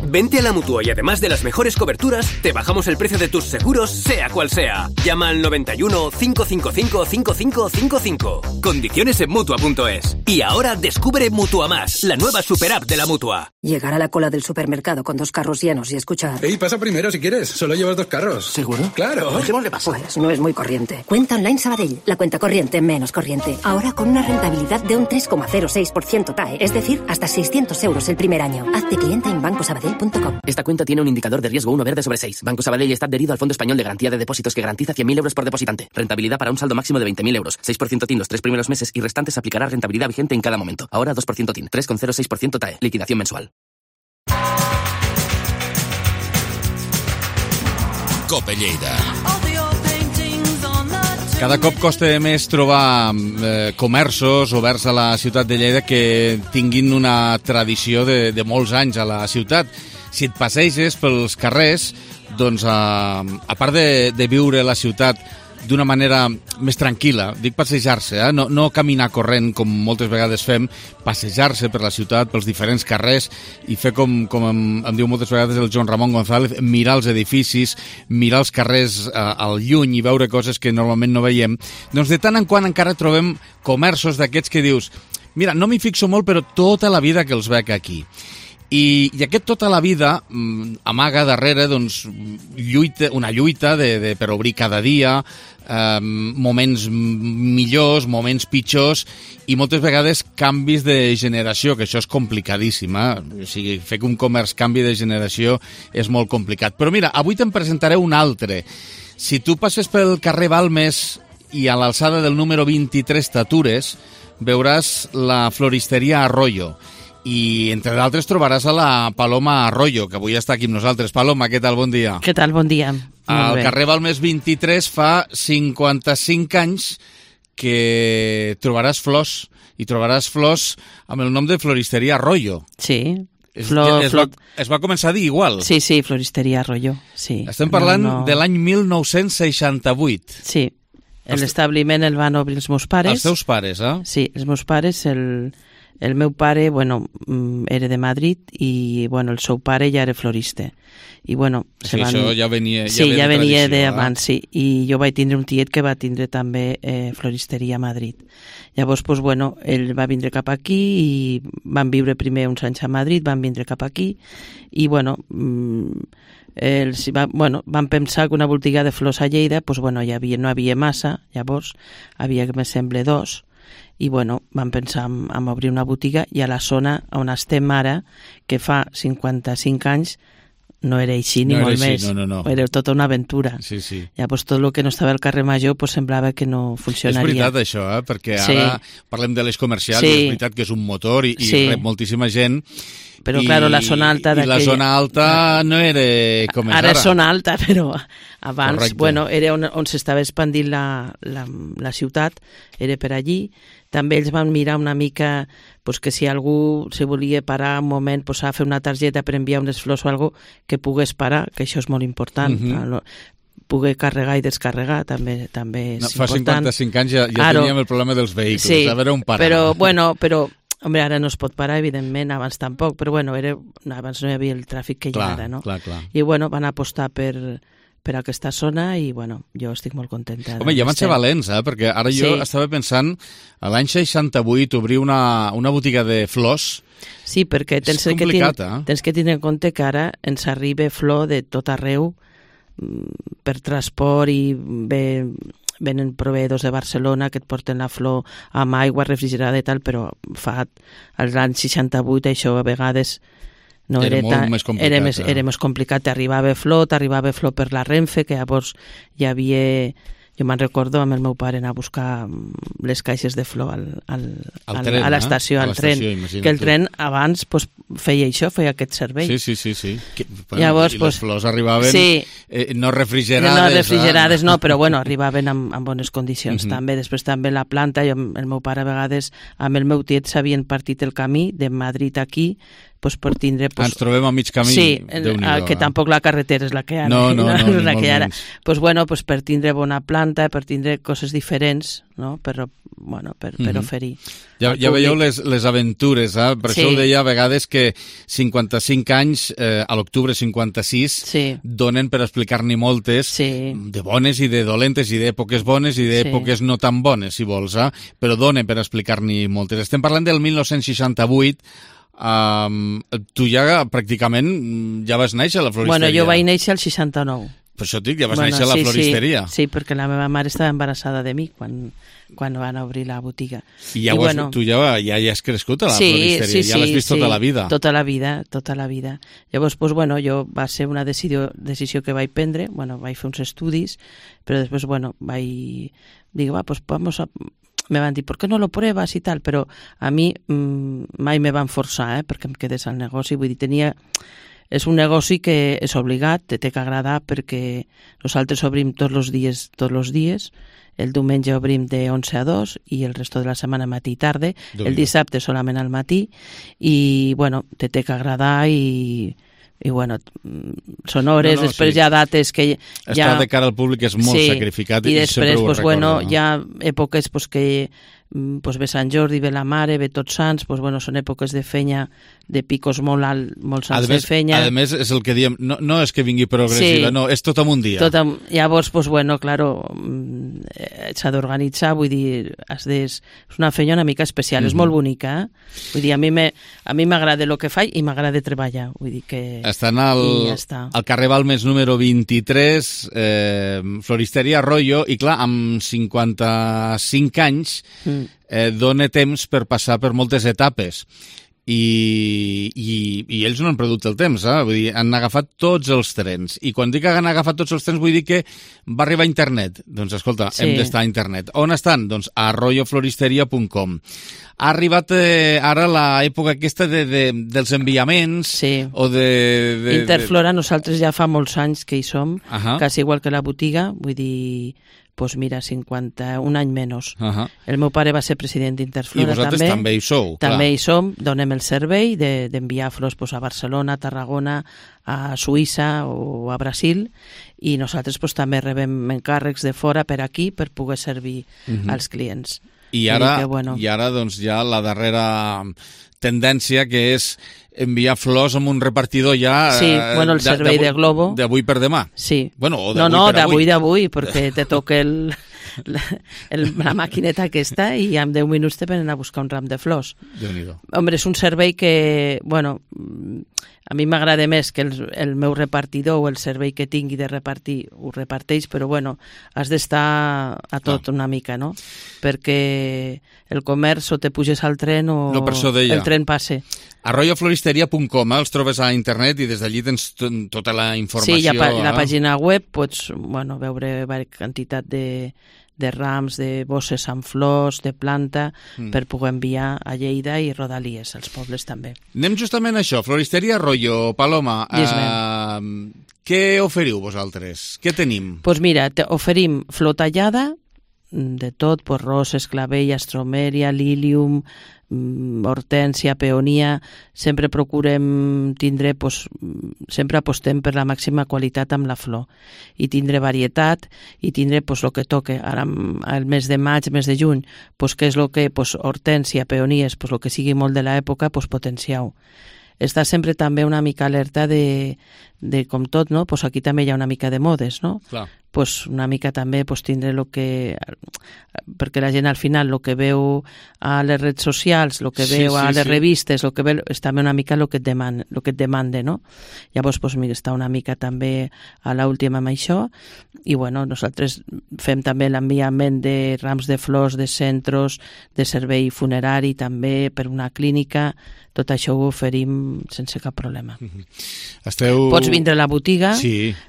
Vente a la Mutua y además de las mejores coberturas, te bajamos el precio de tus seguros, sea cual sea. Llama al 91 555 5555. Condiciones en Mutua.es. Y ahora descubre Mutua Más, la nueva super app de la Mutua. Llegar a la cola del supermercado con 2 carros llenos y escuchar... Ey, pasa primero si quieres. Solo llevas 2 carros. ¿Seguro? Claro. Dejémosle pasar. Pues no es muy corriente. Cuenta Online Sabadell. La cuenta corriente menos corriente. Ahora con una rentabilidad de un 3,06% TAE. Es decir, hasta 600 euros el primer año. Hazte cliente en bancosabadell.com. Esta cuenta tiene un indicador de riesgo 1 verde sobre 6. Banco Sabadell está adherido al Fondo Español de Garantía de Depósitos que garantiza 100.000 euros por depositante. Rentabilidad para un saldo máximo de 20.000 euros. 6% TIN los 3 primeros meses y restantes aplicará rentabilidad vigente en cada momento. Ahora 2% TIN, 3,06% TAE. Liquidación mensual. COPE Lleida. Cada cop costa més trobar comerços oberts a la ciutat de Lleida que tinguin una tradició de molts anys a la ciutat. Si et passeges pels carrers, doncs a part de viure la ciutat d'una manera més tranquil·la. Dic passejar-se, no caminar corrent com moltes vegades fem, passejar-se per la ciutat, pels diferents carrers i fer com em diu moltes vegades el Joan Ramon González, mirar els edificis, mirar els carrers al lluny i veure coses que normalment no veiem. Doncs de tant en quant encara trobem comerços d'aquests que dius, mira, no m'hi fixo molt, però tota la vida que els veig aquí. I aquest tota la vida amaga darrere doncs, una lluita per obrir cada dia, moments millors, moments pitjors i moltes vegades canvis de generació, que això és complicadíssim. O sigui, fer que un comerç canvi de generació és molt complicat. Però mira, avui te'n presentaré un altre. Si tu passes pel carrer Balmes i a l'alçada del número 23 t'atures, veuràs la floristeria Arroyo. I, entre d'altres, trobaràs a la Paloma Arroyo, que avui està aquí amb nosaltres. Paloma, què tal? Bon dia. Què tal? Bon dia. Al carrer Balmes 23 fa 55 anys que trobaràs flors, i trobaràs flors amb el nom de Floristeria Arroyo. Sí. Es va començar a dir igual. Sí, Floristeria Arroyo. Sí. Estem parlant de l'any 1968. Sí. L'establiment el van obrir els meus pares. Els teus pares, Sí, els meus pares, el meu pare, era de Madrid i, el seu pare ja era florista. I, sí, això ja venia ja venia d'abans, sí. I jo vaig tindre un tiet que va tindre també floristeria a Madrid. Llavors, ell va vindre cap aquí i van viure primer uns anys a Madrid, van vindre cap aquí i, van pensar que una botiga de flors a Lleida, no hi havia massa, llavors havia, que me sembla, 2, i vam pensar en obrir una botiga i a la zona on estem ara, que fa 55 anys, no era així ni molt més. No. Era tota una aventura. Sí. Llavors tot el que no estava al carrer Major semblava que no funcionaria. És veritat això, perquè ara parlem de l'eix comercial i és veritat que és un motor i rep moltíssima gent. Però, claro, la zona alta I la zona alta no era com és ara. Ara és zona alta, però abans, era on s'estava expandint la ciutat, era per allí. També ells van mirar una mica que si algú se volia parar un moment a fer una targeta per enviar unes flors o alguna cosa, que pogués parar, que això és molt important. Poder carregar i descarregar també és important. Fa 55 anys ja teníem el problema dels vehicles, a veure on parar. Però home, ara no es pot parar, evidentment, abans tampoc, però abans no hi havia el tràfic que hi ha ara, no? Clar. I van apostar per aquesta zona i, jo estic molt contenta. Home, ja van ser valents, perquè ara jo estava pensant, a l'any 68 obrir una botiga de flors. Sí, perquè tens que tenir en compte que ara ens arriba flor de tot arreu per transport i venen proveïdors de Barcelona que et porten la flor amb aigua refrigerada i tal, però fa als anys 68 això a vegades no era més complicat. T'arribava flor per la Renfe, que llavors hi havia... Jo me'n recordo amb el meu pare anar a buscar les caixes de flor a l'estació, al tren. Que el tren abans feia aquest servei. Sí. Llavors, i les flors arribaven no refrigerades. No refrigerades, no, però arribaven en bones condicions. També, després també la planta, el meu pare a vegades amb el meu tiet s'havien partit el camí de Madrid aquí, per tindre... Ens trobem a mig camí, Déu-n'hi-do. Que tampoc la carretera és la que ara. No, la que ara. Per tindre bona planta, per tindre coses diferents, no? Per oferir. Ja veieu les aventures, per això ho deia a vegades que 55 anys, a l'octubre 56, donen per explicar-n'hi moltes, de bones i de dolentes, i d'èpoques bones i d'èpoques no tan bones, si vols, però donen per explicar-n'hi moltes. Estem parlant del 1968, tu ja pràcticament ja vas néixer a la floristeria. Jo vaig néixer al 69. Per això et dic, ja vas néixer a la floristeria. Sí, perquè la meva mare estava embarassada de mi quan van obrir la botiga. I tu ja has crescut a la floristeria, ja l'has vist tota la vida. Tota la vida. Llavors, va ser una decisió que vaig prendre, vaig fer uns estudis, però després, vaig dir, vamos a... Me van dir, ¿por qué no lo pruebas y tal? Però a mi mai me van forçar, perquè em quedés al negoci. Vull dir, és un negoci que és obligat, té que agradar, perquè nosaltres obrim tots els dies. El diumenge obrim de 11 a 2 i el resto de la setmana matí i tarda. El dissabte solament al matí. I, té que agradar i i bueno, són hores, després hi ha dates que estar de cara al públic és molt sacrificat i després, pues, bueno, hi ha èpoques pues, que pues, ve Sant Jordi, ve la Mare, ve Tots Sants, pues, bueno, són èpoques de fenya, de picos molt alt, molt sants de fenya. A més, és el que diem, no és que vingui progressiva, no, és tot en un dia. Llavors, pues, bueno, claro, s'ha d'organitzar, vull dir, és una feina una mica especial, és molt bonica, vull dir, a mi m'agrada el que faig i m'agrada treballar, vull dir que... Estan al carrer Balmes número 23, Floristeria Arroyo, i clar, amb 55 anys dona temps per passar per moltes etapes. I ells no han perdut el temps, vull dir, han agafat tots els trens, i quan dic que han agafat tots els trens vull dir que va arribar a internet. Doncs escolta, hem d'estar a internet. On estan? Doncs a arroyofloristeria.com. Ha arribat ara l'època aquesta dels enviaments o de... Interflora, nosaltres ja fa molts anys que hi som, quasi igual que la botiga, vull dir... Pues mira, 51 anys menys. El meu pare va ser president d'Interflora. I vosaltres també hi sou, clar. També hi som, donem el servei d'enviar flors a Barcelona, a Tarragona, a Suïssa o a Brasil, i nosaltres també rebem encàrrecs de fora per aquí per poder servir als clients. I ara doncs, ja la darrera tendència que és enviar flors amb un repartidor ja... Sí, bueno, el servei de Globo. D'avui per demà. Sí. Bueno, o d'avui, perquè te toca la maquineta aquesta i en 10 minuts te venen a buscar un ram de flors. Déu-n'hi-do. Hombre, és un servei que, bueno, a mi m'agrada més que el meu repartidor o el servei que tingui de repartir ho reparteix, però bueno, has d'estar a tot una mica, no? Perquè el comerç o te puges al tren o el tren passe. arroyofloristeria.com, els trobes a internet i des d'allí tens tota la informació. Sí, hi ha la pàgina web, pots veure quantitat de rams, de bosses amb flors, de planta, per poder enviar a Lleida i Rodalies, als pobles també. Anem justament a això, Floristeria Arroyo, Paloma, què oferiu vosaltres? Què tenim? Doncs mira, oferim flor tallada, de tot, roses, clavell, astromeria, lilium, hortènsia, peonia. Sempre procurem tindre, sempre apostem per la màxima qualitat amb la flor i tindre varietat i tindre el que toque. Ara, el mes de maig, mes de juny, què és el que, hortènsia, peonies, el que sigui molt de l'època, potenciau. Està sempre també una mica alerta de com tot, no? Aquí també hi ha una mica de modes, no? Clar. Una mica també tindre el que... Perquè la gent al final el que veu a les redes socials, el que veu a les revistes, el que veu és també una mica el que et demanda, no? Llavors, està una mica també a l'última amb això. I, bueno, nosaltres fem també l'enviament de rams de flors, de centres, de servei funerari, també per una clínica. Tot això ho oferim sense cap problema. Pots vindre a la botiga,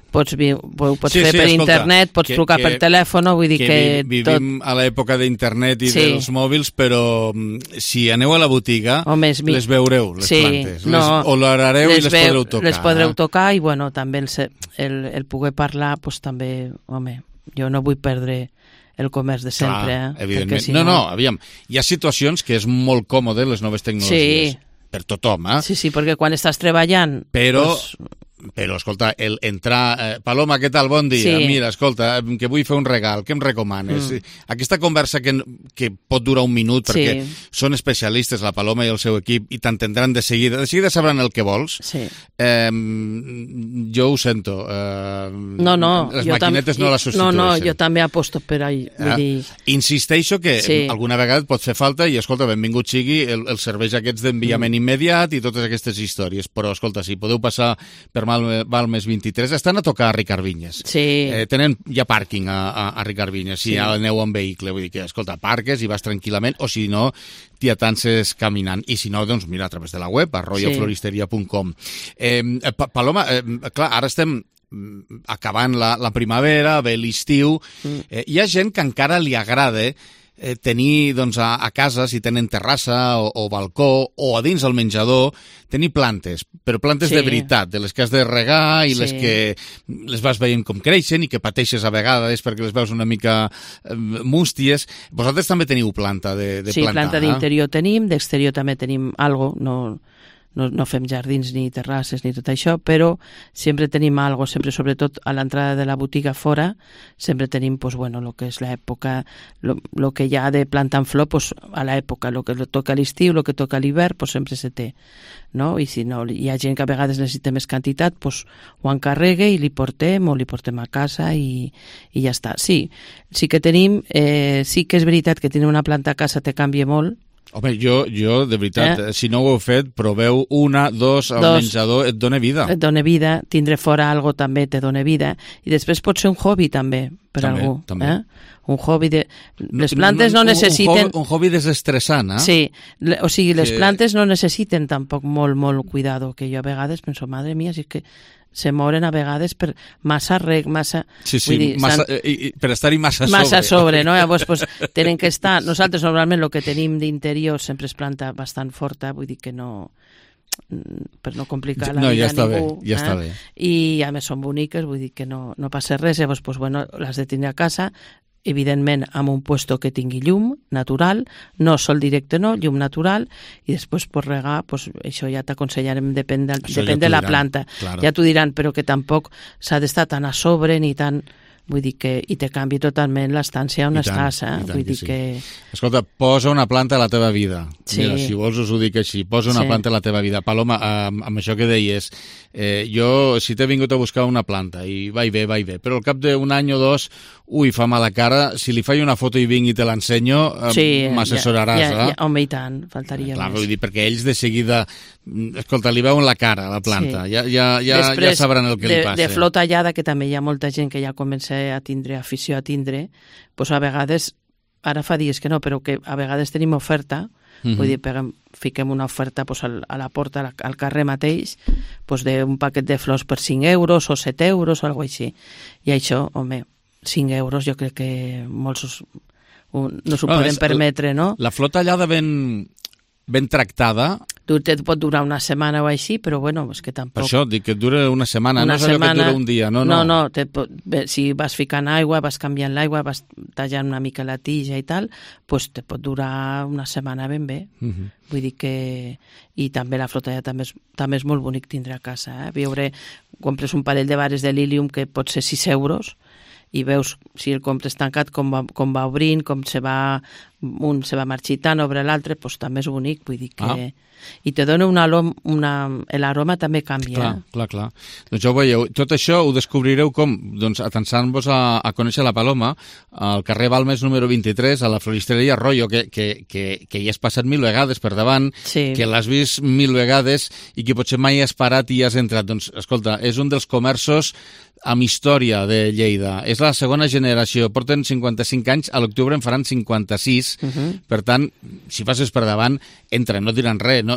pots fer per internet, pots trucar per telèfon, vull dir que... Vivim a l'època d'internet i dels mòbils, però si aneu a la botiga, les veureu, les plantes. O l'orareu i les podreu tocar. Les podreu tocar i, bueno, també el poder parlar, també, home, jo no vull perdre el comerç de sempre. Evidentment. No, aviam, hi ha situacions que és molt còmode les noves tecnologies. Per tothom, Sí, perquè quan estàs treballant... Però, escolta, entrar... Paloma, què tal? Bon dia. Mira, escolta, que vull fer un regal, què em recomanes? Aquesta conversa que pot durar un minut, perquè són especialistes, la Paloma i el seu equip, i t'entendran de seguida. De seguida sabran el que vols. Jo ho sento. Les maquinetes no la substitueixen. No, jo també aposto per ahí. Insisteixo que alguna vegada et pot fer falta i, escolta, benvingut sigui els serveis aquests d'enviament immediat i totes aquestes històries. Però, escolta, si podeu passar per Balmes 23, estan a tocar a Ricard Vinyes. Tenen ja pàrquing a Ricard Vinyes, si aneu en vehicle, vull dir que, escolta, parques i vas tranquil·lament, o si no, t'hi atances caminant. I si no, doncs mira, a través de la web, arroyofloristeria.com. Paloma, clar, ara estem acabant la primavera, ve l'estiu, hi ha gent que encara li agrada tenir a casa, si tenen terrassa o balcó o a dins el menjador, tenir plantes, però plantes de veritat, de les que has de regar i les que les vas veient com creixen i que pateixes a vegades perquè les veus una mica músties. Vosaltres també teniu planta de plantar? Sí, planta d'interior tenim, d'exterior també tenim algo, no fem jardins ni terrasses ni tot això, però sempre tenim algo, sempre, sobretot a l'entrada de la botiga fora, sempre tenim, pues, bueno, lo que és l'època, lo que hi ha de plantar en flor, pues, a l'època, lo que toca a l'estiu, lo que toca a l'hivern, pues, sempre se té, no? I si no, hi ha gent que a vegades necessita més quantitat, pues, ho encarregue i li portem a casa i ja està. Sí que tenim, sí que és veritat que tenir una planta a casa te canvia molt. Home, jo de veritat, si no ho heu fet, proveu una, dos, el menjador et dona vida. Et dona vida, tindre fora algo també te dona vida, i després pot ser un hobby també, per algú. També. Un hobby de... Les plantes no necessiten... Un hobby desestressant, Sí, o sigui, les plantes no necessiten tampoc molt cuidado, que jo a vegades penso, madre mía, si és que se moren a vegades per massa reg, massa... Sí, dir, per estar-hi massa sobre. Massa sobre, no? Llavors, pues, tenen que estar... Nosaltres, normalment, el que tenim d'interior sempre és planta bastant forta, vull dir que no... per no complicar la vida a ningú. Ja està bé. I, a més, són boniques, vull dir que no passa res. Llavors, pues, bueno, les de tindre a casa, evidentment amb un puesto que tingui llum natural, no sol directe no, llum natural, i després per regar, pues, això ja t'aconsellarem, depèn de la planta. Claro. Ja t'ho diran, però que tampoc s'ha d'estar tan a sobre ni tan... Vull dir que i te canvi totalment l'estància on estàs, vull dir que... Escolta, posa una planta a la teva vida. Sí. Mira, si vols us ho dic així, posa una planta a la teva vida. Paloma, amb això que deies, jo si t'he vingut a buscar una planta i vaig bé, però al cap d'un any o dos, fa mala cara, si li faig una foto i vinc i te l'ensenyo, m'assessoraràs, home, i tant, faltaria més. Vull dir, perquè ells de seguida, escolta, li veuen la cara a la planta, ja sabran el que li passa. De flor tallada, que també hi ha molta gent que ja comença a tindre afició a tindre, doncs a vegades, ara fa dies que no, però que a vegades tenim oferta, vull dir, fiquem una oferta a la porta, al carrer mateix, d'un paquet de flors per 5 euros o 7 euros o alguna cosa així. I això, home, 5 euros jo crec que molts no s'ho poden permetre, no? La flor tallada ben tractada... Et pot durar una setmana o així, però bueno, és que tampoc... Per això, dic que dura una setmana, no és allò que dura un dia, no. No, si vas ficant aigua, vas canviant l'aigua, vas tallant una mica la tija i tal, doncs te pot durar una setmana ben bé. Vull dir que... I també la flotalla també és molt bonic tindre a casa, compres un parell de vares de lilium que pot ser 6 euros, i veus si el compres tancat com va obrint, com un se va marxitant, obre l'altre, doncs també és bonic, vull dir que... I te dona l'aroma també canvia. Clar. Doncs ja ho veieu. Tot això ho descobrireu com? Doncs atençant-vos a conèixer la Paloma al carrer Balmes número 23, a la floristeria Royo, que hi has passat 1000 vegades per davant, que l'has vist 1000 vegades i que potser mai has parat i has entrat. Doncs, escolta, és un dels comerços amb història de Lleida. És la segona generació, porten 55 anys, a l'octubre en faran 56, per tant, si passes per davant, entra, no diran res,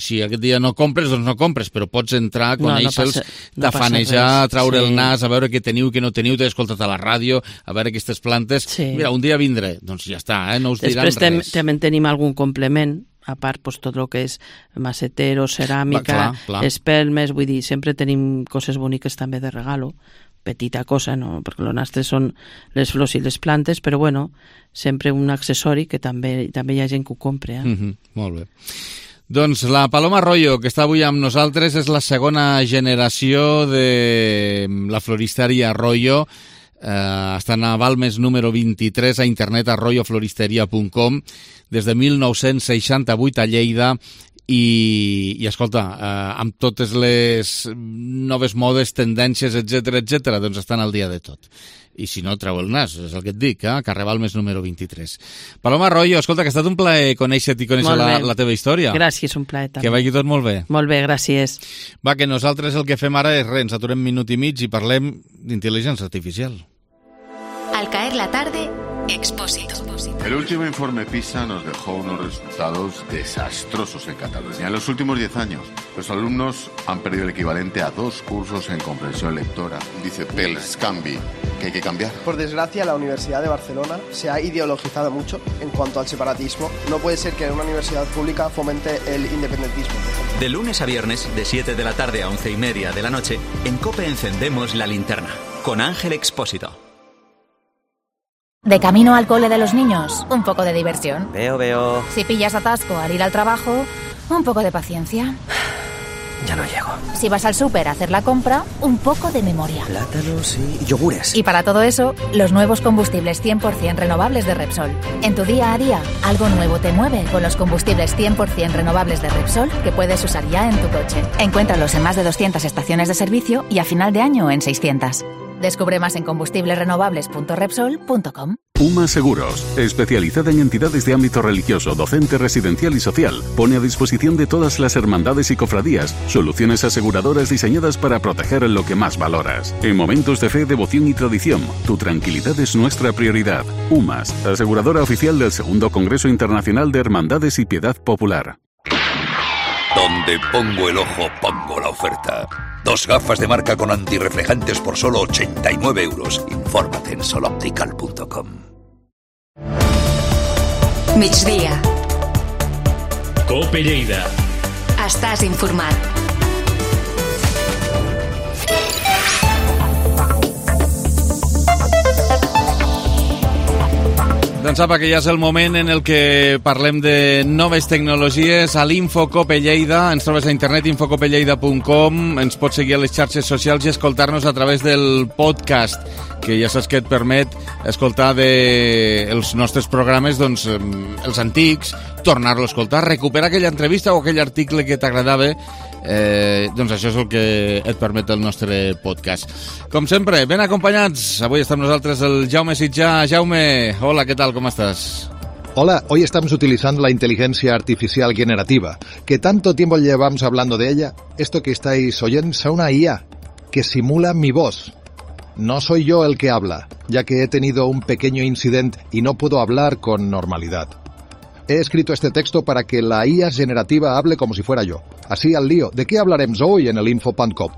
si aquest dia no compres, doncs no compres, però pots entrar, conèixer-los, tafanejar, traure el nas, a veure què teniu, què no teniu, t'he escoltat a la ràdio, a veure aquestes plantes, mira, un dia vindré, doncs ja està, no us diran res. Després també tenim algun complement, a part tot el que és macetero, ceràmica, espelmes, vull dir, sempre tenim coses boniques també de regalo, petita cosa, no? Perquè el nostre són les flors i les plantes, però bueno, sempre un accessori que també hi ha gent que ho compra. Molt bé. Doncs la Paloma Royo, que està avui amb nosaltres, és la segona generació de la floristeria Royo. Estan a Balmes número 23, a internet, a royofloristeria.com, des de 1968 a Lleida, i escolta, amb totes les noves modes, tendències, etc, doncs estan al dia de tot. I si no, treu el nas, és el que et dic, carrer Balmes número 23. Paloma Royo, escolta, que ha estat un plaer conèixer-te i conèixer la teva història. Gràcies, un plaer també. Que vagi tot molt bé. Molt bé, gràcies. Va, que nosaltres el que fem ara és res, ens aturem minut i mig i parlem d'intel·ligència artificial. Al caer la tarde, Expósito. El último informe PISA nos dejó unos resultados desastrosos en Cataluña. En los últimos 10 años, los alumnos han perdido el equivalente a 2 cursos en comprensión lectora. Dice Pels Canvi que hay que cambiar. Por desgracia, la Universidad de Barcelona se ha ideologizado mucho en cuanto al separatismo. No puede ser que en una universidad pública fomente el independentismo. De lunes a viernes, de 7 de la tarde a 11:30 de la noche, en COPE encendemos la linterna, con Ángel Expósito. De camino al cole de los niños, un poco de diversión. Veo. Si pillas atasco al ir al trabajo, Un poco de paciencia. Ya no llego. Si vas al súper a hacer la compra, un poco de memoria. Plátanos y yogures. Y para todo eso, los nuevos combustibles 100% renovables de Repsol. En tu día a día, algo nuevo te mueve con los combustibles 100% renovables de Repsol que puedes usar ya en tu coche. Encuéntralos en más de 200 estaciones de servicio y a final de año en 600. Descubre más en combustiblesrenovables.repsol.com. UMA Seguros, especializada en entidades de ámbito religioso, docente, residencial y social, pone a disposición de todas las hermandades y cofradías soluciones aseguradoras diseñadas para proteger lo que más valoras. En momentos de fe, devoción y tradición, tu tranquilidad es nuestra prioridad. UMAS, aseguradora oficial del Segundo Congreso Internacional de Hermandades y Piedad Popular. Donde pongo el ojo, pongo la oferta. 2 gafas de marca con antirreflejantes por solo 89 euros. Infórmate en soloptical.com. Migdia. Cope Lleida. Estàs informat. Doncs apa, que ja és el moment en el que parlem de noves tecnologies a l'Infocope Lleida. Ens trobes a internet, infocopelleida.com. Ens pots seguir a les xarxes socials i escoltar-nos a través del podcast, que ja saps que et permet escoltar els nostres programes, doncs, els antics, tornar-lo a escoltar, recuperar aquella entrevista o aquell article que t'agradava. Doncs això és el que et permet el nostre podcast. Com sempre, ben acompanyats. Avui està amb nosaltres el Jaume Sitjà. Jaume, hola, ¿qué tal? ¿Cómo estás? Hola, hoy estamos utilizando la inteligencia artificial generativa, que tanto tiempo llevamos hablando de ella. Esto que estáis oyendo es una IA que simula mi voz. No soy yo el que habla, ya que he tenido un pequeño incidente y no puedo hablar con normalidad. He escrito este texto para que la IA generativa hable como si fuera yo. Así al lío. ¿De qué hablaremos hoy en el Info.cop?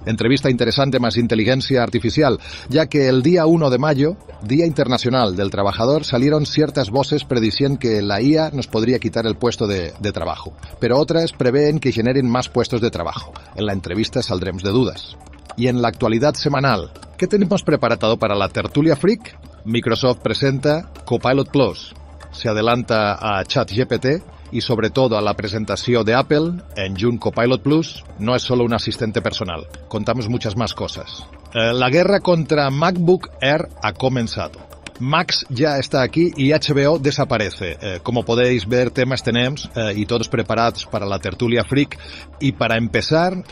Entrevista interesante más inteligencia artificial, ya que el día 1 de mayo, Día Internacional del Trabajador, salieron ciertas voces prediciendo que la IA nos podría quitar el puesto de trabajo, pero otras prevén que generen más puestos de trabajo. En la entrevista saldremos de dudas. Y en la actualidad semanal, ¿qué tenemos preparado para la tertulia freak? Microsoft presenta Copilot Plus. Se adelanta a ChatGPT y sobre todo a la presentación de Apple en June. Copilot Plus no es solo un asistente personal, contamos muchas más cosas. La guerra contra MacBook Air ha comenzado. Max ya está aquí y HBO desaparece. Como podéis ver, temas tenemos y todos preparados para la tertulia freak. Y para empezar,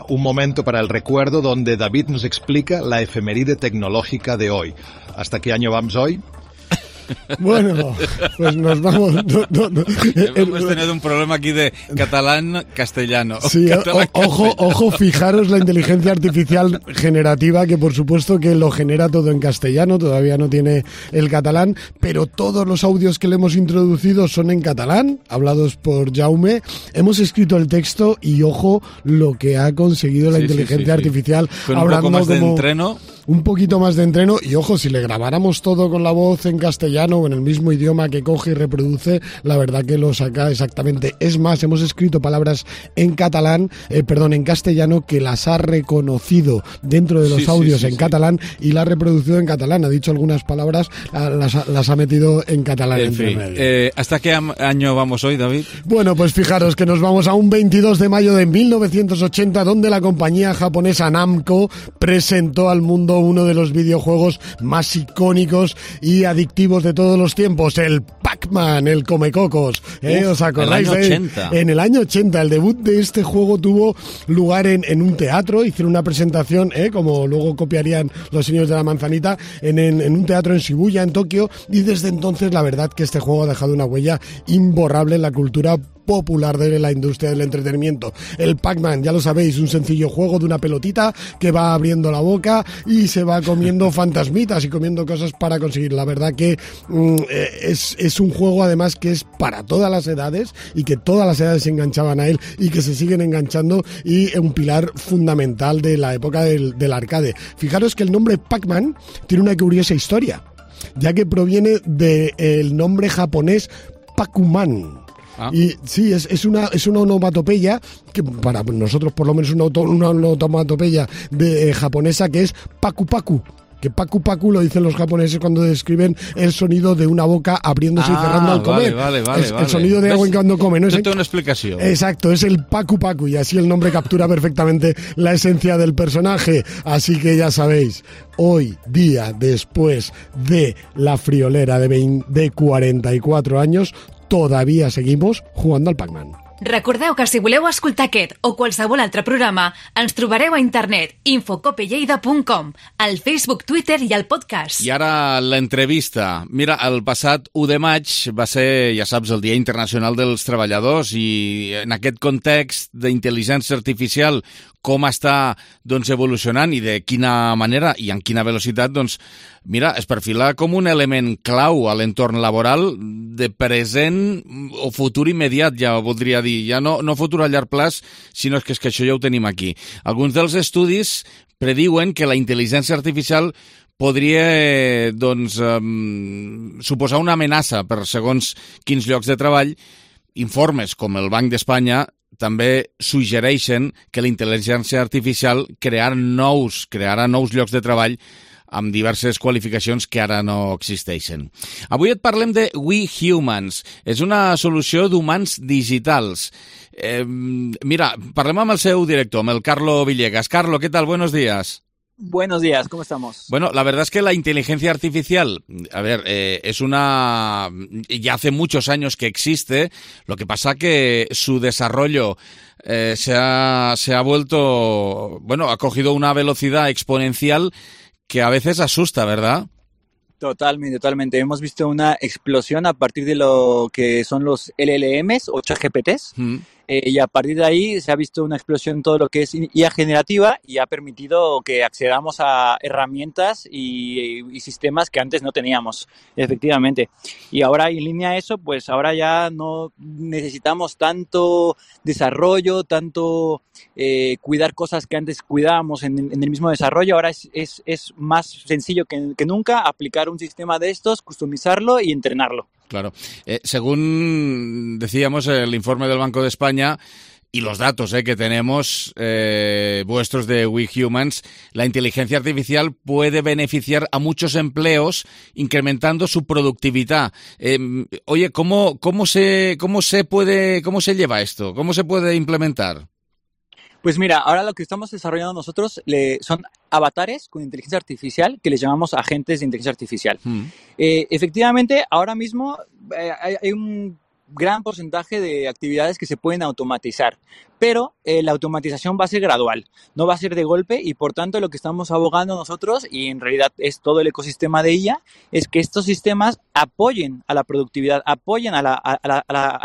un momento para el recuerdo donde David nos explica la efeméride tecnológica de hoy. ¿Hasta qué año vamos hoy? Bueno, pues nos vamos. Hemos tenido un problema aquí de catalán-castellano. Sí, ojo, fijaros la inteligencia artificial generativa, que por supuesto que lo genera todo en castellano, todavía no tiene el catalán, pero todos los audios que le hemos introducido son en catalán, hablados por Jaume. Hemos escrito el texto y ojo lo que ha conseguido la inteligencia artificial. Con un poco más de entreno. Un poquito más de entreno y ojo, si le grabáramos todo con la voz en castellano o en el mismo idioma que coge y reproduce, la verdad que lo saca exactamente. Es más, hemos escrito palabras en en castellano, que las ha reconocido dentro de los audios en catalán y las ha reproducido en catalán. Ha dicho algunas palabras, las ha metido en catalán. En fin, ¿hasta qué año vamos hoy, David? Bueno, pues fijaros que nos vamos a un 22 de mayo de 1980, donde la compañía japonesa Namco presentó al mundo uno de los videojuegos más icónicos y adictivos de todos los tiempos, el Pac-Man, el Comecocos. ¿Os acordáis? El año 80. En el año 80, el debut de este juego tuvo lugar en un teatro. Hicieron una presentación, como luego copiarían los señores de la manzanita, en un teatro en Shibuya, en Tokio, y desde entonces la verdad que este juego ha dejado una huella imborrable en la cultura popular de la industria del entretenimiento. El Pac-Man, ya lo sabéis, un sencillo juego de una pelotita que va abriendo la boca y se va comiendo fantasmitas y comiendo cosas para conseguir. La verdad que es un juego además que es para todas las edades y que todas las edades se enganchaban a él y que se siguen enganchando, y un pilar fundamental de la época del arcade. Fijaros que el nombre Pac-Man tiene una curiosa historia, ya que proviene del nombre japonés Pac-Man. Y sí, es una onomatopeya que para nosotros por lo menos una onomatopeya japonesa, que es paku paku, que paku paku lo dicen los japoneses cuando describen el sonido de una boca abriéndose y cerrando al comer. Vale. El sonido de agua cuando come, ¿no? Esto es una explicación. Exacto, es el paku paku, y así el nombre captura perfectamente la esencia del personaje. Así que ya sabéis, hoy día después de la friolera de 44 años, todavía seguimos jugando al Pac-Man. Recordeu que si voleu escoltar aquest o qualsevol altre programa, ens trobareu a internet infocopelleida.com, al Facebook, Twitter i al podcast. I ara l'entrevista. Mira, el passat 1 de maig va ser, ja saps, el Dia Internacional dels Treballadors, i en aquest context d'intel·ligència artificial, com està evolucionant i de quina manera i en quina velocitat, mira, es perfila com un element clau a l'entorn laboral de present o futur immediat, ja voldria dir. Ja no futur a llarg plaç, sinó que això ja ho tenim aquí. Alguns dels estudis prediuen que la intel·ligència artificial podria suposar una amenaça per segons quins llocs de treball. Informes com el Banc d'Espanya també suggereixen que la intel·ligència artificial crearà nous llocs de treball amb diverses qualificacions que ara no existeixen. Avui et parlem de We Humans. És una solució d'humans digitals. Mira, parlem amb el seu director, amb el Carlo Villegas. Carlo, ¿qué tal? Buenos días. Buenos días, ¿cómo estamos? Bueno, la verdad es que la inteligencia artificial, es ya hace muchos años que existe, lo que pasa que su desarrollo se ha vuelto, ha cogido una velocidad exponencial que a veces asusta, ¿verdad? Totalmente. Hemos visto una explosión a partir de lo que son los LLMs o ChatGPTs. Y a partir de ahí se ha visto una explosión en todo lo que es IA generativa y ha permitido que accedamos a herramientas y sistemas que antes no teníamos, efectivamente. Y ahora en línea a eso, pues ahora ya no necesitamos tanto desarrollo, tanto cuidar cosas que antes cuidábamos en el mismo desarrollo. Ahora es más sencillo que nunca aplicar un sistema de estos, customizarlo y entrenarlo. Claro. Según decíamos, el informe del Banco de España y los datos que tenemos vuestros de We Humans, la inteligencia artificial puede beneficiar a muchos empleos incrementando su productividad. Oye, ¿cómo se lleva esto? ¿Cómo se puede implementar? Pues mira, ahora lo que estamos desarrollando nosotros son avatares con inteligencia artificial que les llamamos agentes de inteligencia artificial. Efectivamente, ahora mismo hay un gran porcentaje de actividades que se pueden automatizar, pero la automatización va a ser gradual, no va a ser de golpe, y por tanto lo que estamos abogando nosotros, y en realidad es todo el ecosistema de IA, es que estos sistemas apoyen a la productividad, apoyen a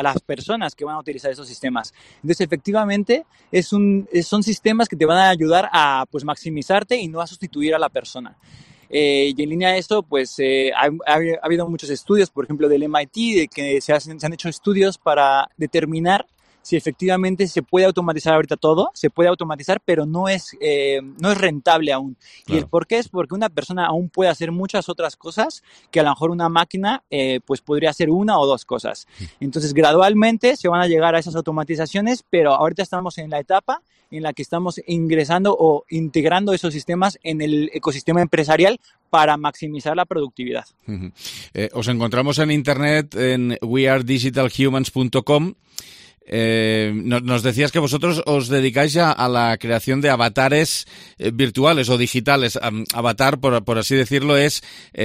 las personas que van a utilizar esos sistemas. Entonces, efectivamente, son sistemas que te van a ayudar a maximizarte y no a sustituir a la persona. Y en línea a esto, pues ha habido muchos estudios, por ejemplo del MIT, de que se han hecho estudios para determinar si efectivamente se puede automatizar ahorita todo. Se puede automatizar, pero no es rentable aún. Claro. Y el por qué es porque una persona aún puede hacer muchas otras cosas que a lo mejor una máquina pues podría hacer una o dos cosas. Entonces, gradualmente se van a llegar a esas automatizaciones, pero ahorita estamos en la etapa en la que estamos ingresando o integrando esos sistemas en el ecosistema empresarial para maximizar la productividad. Os encontramos en internet en wearedigitalhumans.com. Nos decías que vosotros os dedicáis a la creación de avatares virtuales o digitales. Avatar, por así decirlo, es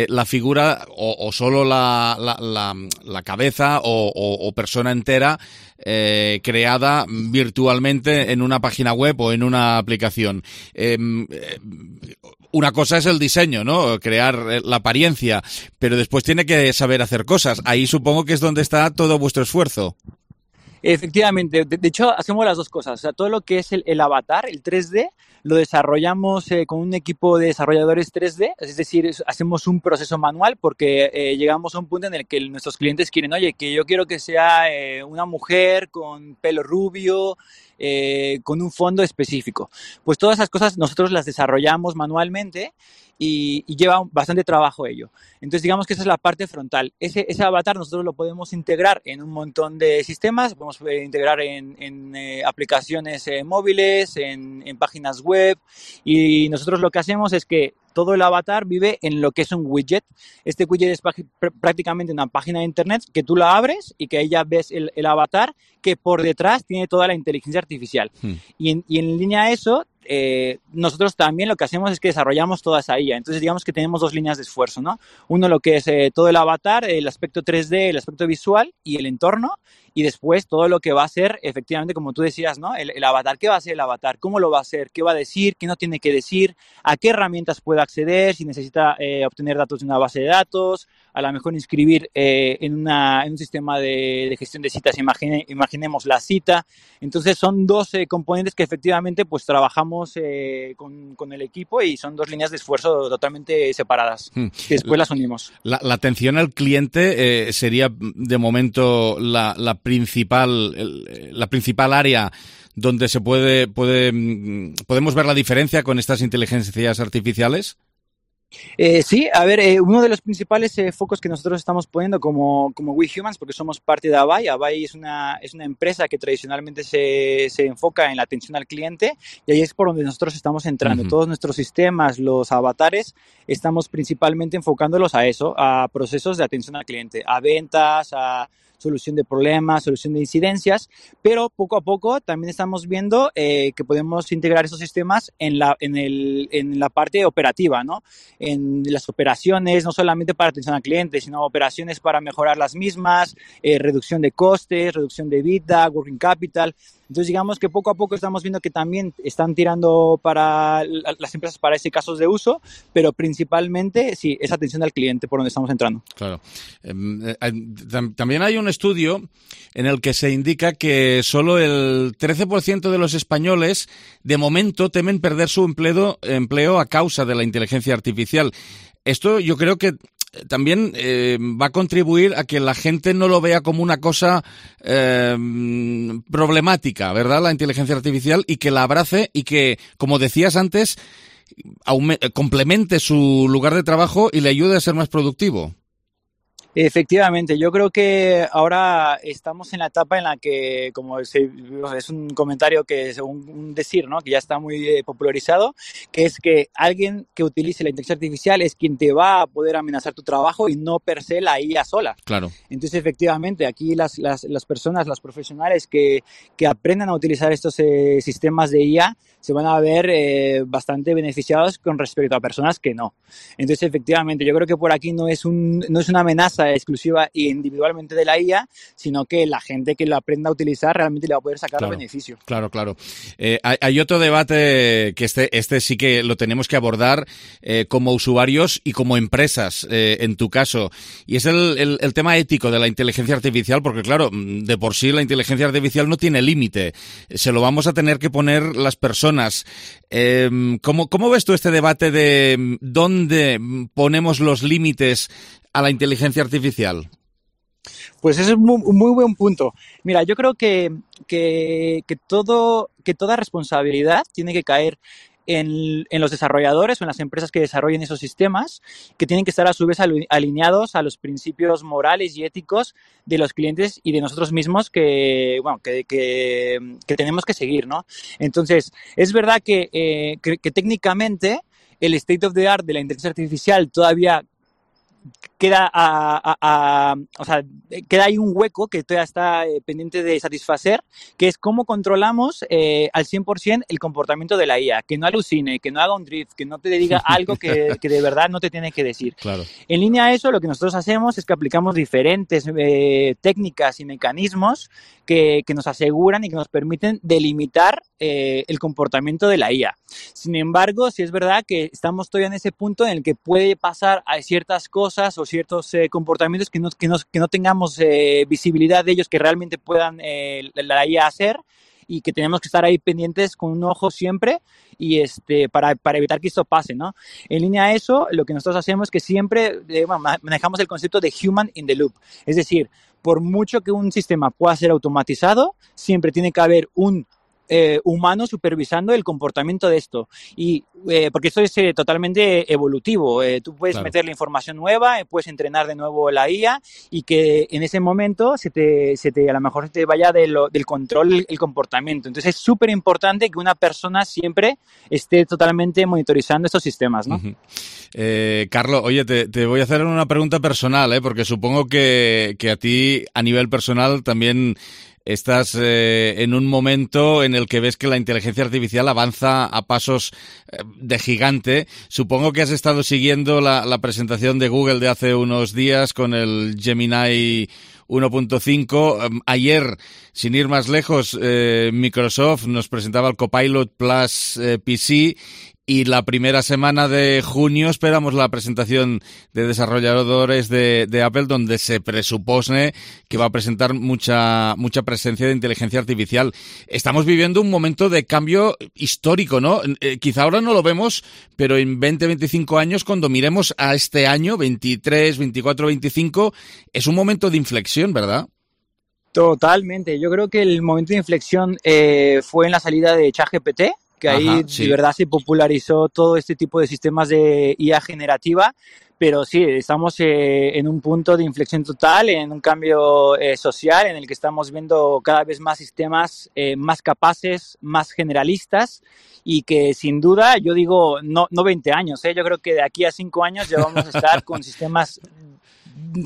la figura o solo la cabeza o persona entera creada virtualmente en una página web o en una aplicación. Una cosa es el diseño, ¿no? Crear la apariencia, pero después tiene que saber hacer cosas. Ahí supongo que es donde está todo vuestro esfuerzo. Efectivamente, de hecho hacemos las dos cosas, o sea, todo lo que es el avatar, el 3D, lo desarrollamos con un equipo de desarrolladores 3D, es decir, hacemos un proceso manual porque llegamos a un punto en el que nuestros clientes quieren, oye, que yo quiero que sea una mujer con pelo rubio, con un fondo específico. Pues todas esas cosas nosotros las desarrollamos manualmente y lleva bastante trabajo ello. Entonces, digamos que esa es la parte frontal. Ese avatar nosotros lo podemos integrar en un montón de sistemas, podemos integrar en aplicaciones móviles, en páginas web, y nosotros lo que hacemos es que todo el avatar vive en lo que es un widget. Este widget es prácticamente una página de internet que tú la abres y que ahí ya ves el avatar que por detrás tiene toda la inteligencia artificial. Y en línea a eso, nosotros también lo que hacemos es que desarrollamos toda esa IA. Entonces digamos que tenemos dos líneas de esfuerzo, ¿no? Uno lo que es todo el avatar, el aspecto 3D, el aspecto visual y el entorno, y después todo lo que va a ser efectivamente, como tú decías, ¿no? El avatar. ¿Qué va a ser el avatar? ¿Cómo lo va a hacer? ¿Qué va a decir? ¿Qué no tiene que decir? ¿A qué herramientas puede acceder? Si necesita obtener datos de una base de datos, a lo mejor inscribir en un sistema de gestión de citas, imaginemos la cita. Entonces son dos componentes que efectivamente pues trabajamos con el equipo, y son dos líneas de esfuerzo totalmente separadas, que después las unimos. La atención al cliente sería de momento la principal área donde podemos ver la diferencia con estas inteligencias artificiales. Sí, a ver, uno de los principales focos que nosotros estamos poniendo como We Humans, porque somos parte de Avaya. Avaya es una empresa que tradicionalmente se enfoca en la atención al cliente, y ahí es por donde nosotros estamos entrando. Todos nuestros sistemas, los avatares, estamos principalmente enfocándolos a eso, a procesos de atención al cliente, a ventas, a solución de problemas, solución de incidencias, pero poco a poco también estamos viendo que podemos integrar esos sistemas en la parte operativa, ¿no? En las operaciones, no solamente para atención al cliente, sino operaciones para mejorar las mismas, reducción de costes, reducción de EBITDA, working capital. Entonces, digamos que poco a poco estamos viendo que también están tirando para las empresas para ese casos de uso, pero principalmente, sí, es atención al cliente por donde estamos entrando. Claro. También hay un estudio en el que se indica que solo el 13% de los españoles, de momento, temen perder su empleo a causa de la inteligencia artificial. Esto yo creo que también va a contribuir a que la gente no lo vea como una cosa problemática, ¿verdad? La inteligencia artificial, y que la abrace y que, como decías antes, complemente su lugar de trabajo y le ayude a ser más productivo. Efectivamente, yo creo que ahora estamos en la etapa en la que, como es un comentario que es un decir, ¿no? Que ya está muy popularizado, que es que alguien que utilice la inteligencia artificial es quien te va a poder amenazar tu trabajo y no per se la IA sola. Claro. Entonces, efectivamente, aquí las personas, los profesionales que aprendan a utilizar estos sistemas de IA se van a ver bastante beneficiados con respecto a personas que no. Entonces, efectivamente, yo creo que por aquí no es una amenaza exclusiva e individualmente de la IA, sino que la gente que lo aprenda a utilizar realmente le va a poder sacar beneficio. Claro. Hay otro debate que este sí que lo tenemos que abordar como usuarios y como empresas, en tu caso, y es el tema ético de la inteligencia artificial, porque claro, de por sí la inteligencia artificial no tiene límite, se lo vamos a tener que poner las personas. ¿Cómo ves tú este debate de dónde ponemos los límites a la inteligencia artificial? Pues ese es un muy buen punto. Mira, yo creo que toda responsabilidad tiene que caer en los desarrolladores o en las empresas que desarrollen esos sistemas, que tienen que estar a su vez alineados a los principios morales y éticos de los clientes y de nosotros mismos que tenemos que seguir, ¿no? Entonces, es verdad que técnicamente el state of the art de la inteligencia artificial todavía queda queda ahí un hueco que todavía está pendiente de satisfacer, que es cómo controlamos al 100% el comportamiento de la IA, que no alucine, que no haga un drift, que no te diga algo que de verdad no te tiene que decir. Claro. En línea a eso, lo que nosotros hacemos es que aplicamos diferentes técnicas y mecanismos que nos aseguran y que nos permiten delimitar el comportamiento de la IA. Sin embargo, sí es verdad que estamos todavía en ese punto en el que puede pasar a ciertas cosas o ciertos comportamientos que no tengamos visibilidad de ellos, que realmente puedan la IA hacer, y que tenemos que estar ahí pendientes con un ojo siempre y para evitar que esto pase, ¿no? En línea a eso, lo que nosotros hacemos es que siempre manejamos el concepto de human in the loop. Es decir, por mucho que un sistema pueda ser automatizado, siempre tiene que haber un humano supervisando el comportamiento de esto. Y porque esto es totalmente evolutivo. Tú puedes meterle información nueva, puedes entrenar de nuevo la IA y que en ese momento a lo mejor se te vaya del control el comportamiento. Entonces es súper importante que una persona siempre esté totalmente monitorizando estos sistemas, ¿no? Carlos, oye, te voy a hacer una pregunta personal, porque supongo que a ti a nivel personal también estás en un momento en el que ves que la inteligencia artificial avanza a pasos de gigante. Supongo que has estado siguiendo la presentación de Google de hace unos días con el Gemini 1.5. Ayer, sin ir más lejos, Microsoft nos presentaba el Copilot Plus PC. Y la primera semana de junio esperamos la presentación de desarrolladores de Apple, donde se presupone que va a presentar mucha presencia de inteligencia artificial. Estamos viviendo un momento de cambio histórico, ¿no? Quizá ahora no lo vemos, pero en 20, 25 años, cuando miremos a este año, 23, 24, 25, es un momento de inflexión, ¿verdad? Totalmente. Yo creo que el momento de inflexión fue en la salida de ChatGPT, que ahí de verdad se popularizó todo este tipo de sistemas de IA generativa, pero sí, estamos en un punto de inflexión total, en un cambio social en el que estamos viendo cada vez más sistemas más capaces, más generalistas y que sin duda, yo digo, no 20 años, yo creo que de aquí a 5 años ya vamos a estar con sistemas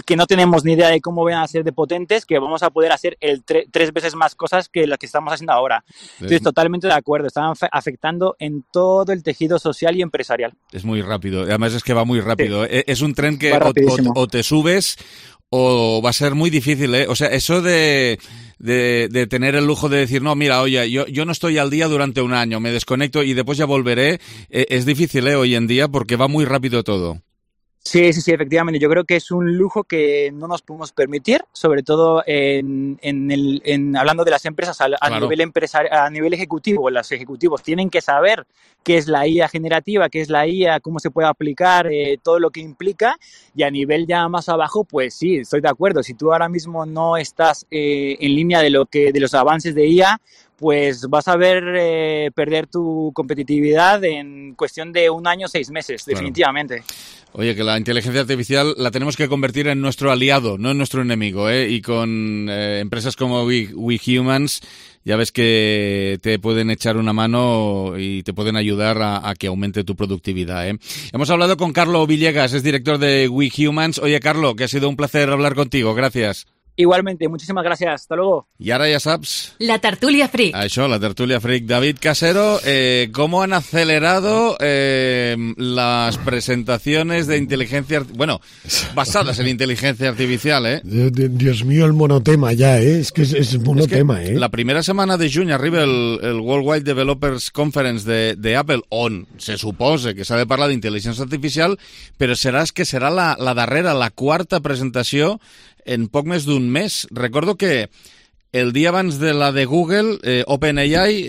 que no tenemos ni idea de cómo van a ser de potentes, que vamos a poder hacer 3 veces más cosas que las que estamos haciendo ahora. Entonces, totalmente de acuerdo. Están afectando en todo el tejido social y empresarial. Es muy rápido. Además es que va muy rápido. Sí. Es un tren que o te subes o va a ser muy difícil, O sea, eso de tener el lujo de decir, no, mira, oye, yo no estoy al día durante un año, me desconecto y después ya volveré, es difícil, hoy en día, porque va muy rápido todo. Sí, efectivamente. Yo creo que es un lujo que no nos podemos permitir, sobre todo hablando de las empresas a nivel ejecutivo. Los ejecutivos tienen que saber qué es la IA generativa, qué es la IA, cómo se puede aplicar, todo lo que implica. Y a nivel ya más abajo, pues sí, estoy de acuerdo. Si tú ahora mismo no estás en línea de los avances de IA, pues vas a ver perder tu competitividad en cuestión de 1 año, 6 meses, definitivamente. Oye, que la inteligencia artificial la tenemos que convertir en nuestro aliado, no en nuestro enemigo, Y con empresas como We Humans, ya ves que te pueden echar una mano y te pueden ayudar a que aumente tu productividad, Hemos hablado con Carlos Villegas, es director de We Humans. Oye, Carlos, que ha sido un placer hablar contigo. Gracias. Igualmente, muchísimas gracias. Hasta luego. I ara ja saps... La tertúlia freak. Això, la tertúlia freak. David Casero, ¿cómo han acelerado las presentaciones de inteligencia... Bueno, basadas en inteligencia artificial, Dios mío, el monotema ya, Es que es monotema, La primera setmana de juny arriba el Worldwide Developers Conference de Apple, on se suposa que s'ha de parlar d'intel·ligència artificial, però serà la darrera, la quarta presentació en poc més d'un mes. Recordo que el dia abans de la de Google, OpenAI,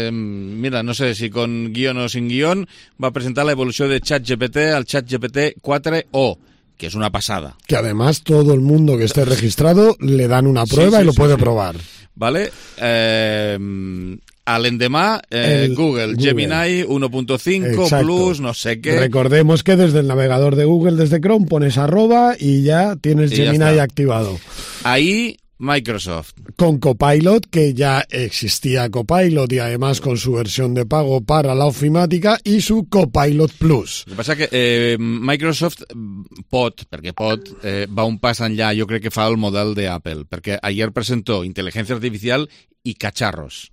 mira, no sé si con guión o sin guión, va a presentar la evolución de ChatGPT al ChatGPT 4o, que es una pasada. Que además todo el mundo que esté registrado le dan una prueba y lo puede probar. Vale. Al endemà, Google, Gemini 1.5, Plus, no sé qué. Recordemos que desde el navegador de Google, desde Chrome, pones @ y ya tienes Gemini activado. Ahí, Microsoft. Con Copilot, que ya existía Copilot y además con su versión de pago para la ofimática y su Copilot Plus. El que passa que Microsoft perquè va un pas enllà, jo crec que fa el model d'Apple, perquè ayer presentó inteligencia artificial y cacharros.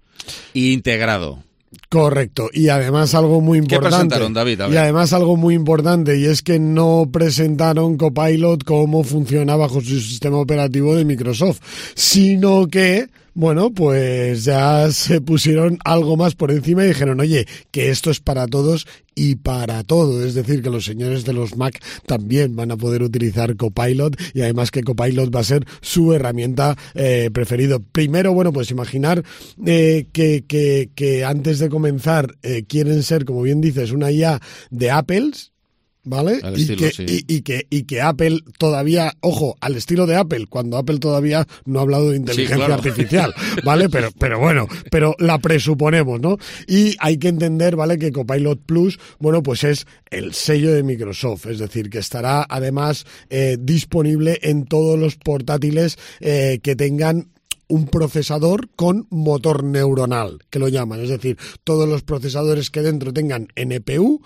Integrado. Correcto, y además algo muy importante. ¿Qué presentaron, David? Y además algo muy importante, y es que no presentaron Copilot cómo funciona bajo su sistema operativo de Microsoft, sino que, bueno, pues ya se pusieron algo más por encima y dijeron, oye, que esto es para todos y para todo, es decir, que los señores de los Mac también van a poder utilizar Copilot y además que Copilot va a ser su herramienta preferida. Primero, bueno, pues imaginar que antes de comenzar quieren ser, como bien dices, una IA de Apple, ¿vale? Y que Apple todavía, ojo, al estilo de Apple, cuando Apple todavía no ha hablado de inteligencia artificial, ¿vale? Pero bueno, la presuponemos, ¿no? Y hay que entender, ¿vale?, que Copilot Plus, bueno, pues es el sello de Microsoft, es decir, que estará además disponible en todos los portátiles que tengan un procesador con motor neuronal, que lo llaman, es decir, todos los procesadores que dentro tengan NPU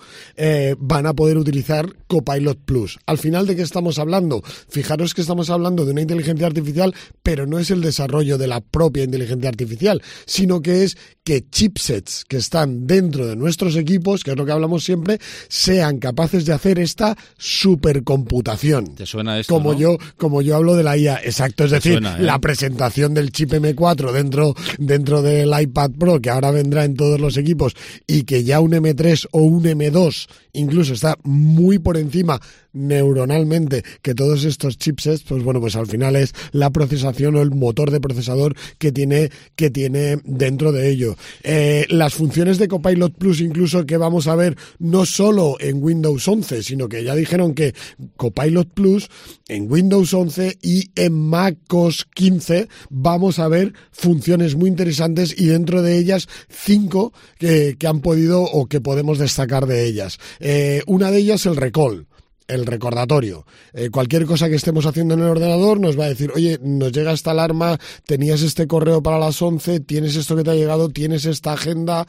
van a poder utilizar Copilot Plus. Al final, ¿de qué estamos hablando? Fijaros que estamos hablando de una inteligencia artificial, pero no es el desarrollo de la propia inteligencia artificial, sino que es que chipsets que están dentro de nuestros equipos, que es lo que hablamos siempre, sean capaces de hacer esta supercomputación. ¿Te suena esto, como no? Como yo hablo de la IA, exacto, es decir, suena, la presentación del chip M4 dentro del iPad Pro, que ahora vendrá en todos los equipos, y que ya un M3 o un M2 incluso está muy por encima neuronalmente que todos estos chipsets, pues bueno, pues al final es la procesación o el motor de procesador que tiene dentro de ello. Las funciones de Copilot Plus incluso que vamos a ver no solo en Windows 11, sino que ya dijeron que Copilot Plus en Windows 11 y en macOS 15 vamos a ver funciones muy interesantes, y dentro de ellas 5 que han podido o que podemos destacar de ellas. Una de ellas el recall. El recordatorio. Cualquier cosa que estemos haciendo en el ordenador nos va a decir, oye, nos llega esta alarma, tenías este correo para las 11, tienes esto que te ha llegado, tienes esta agenda,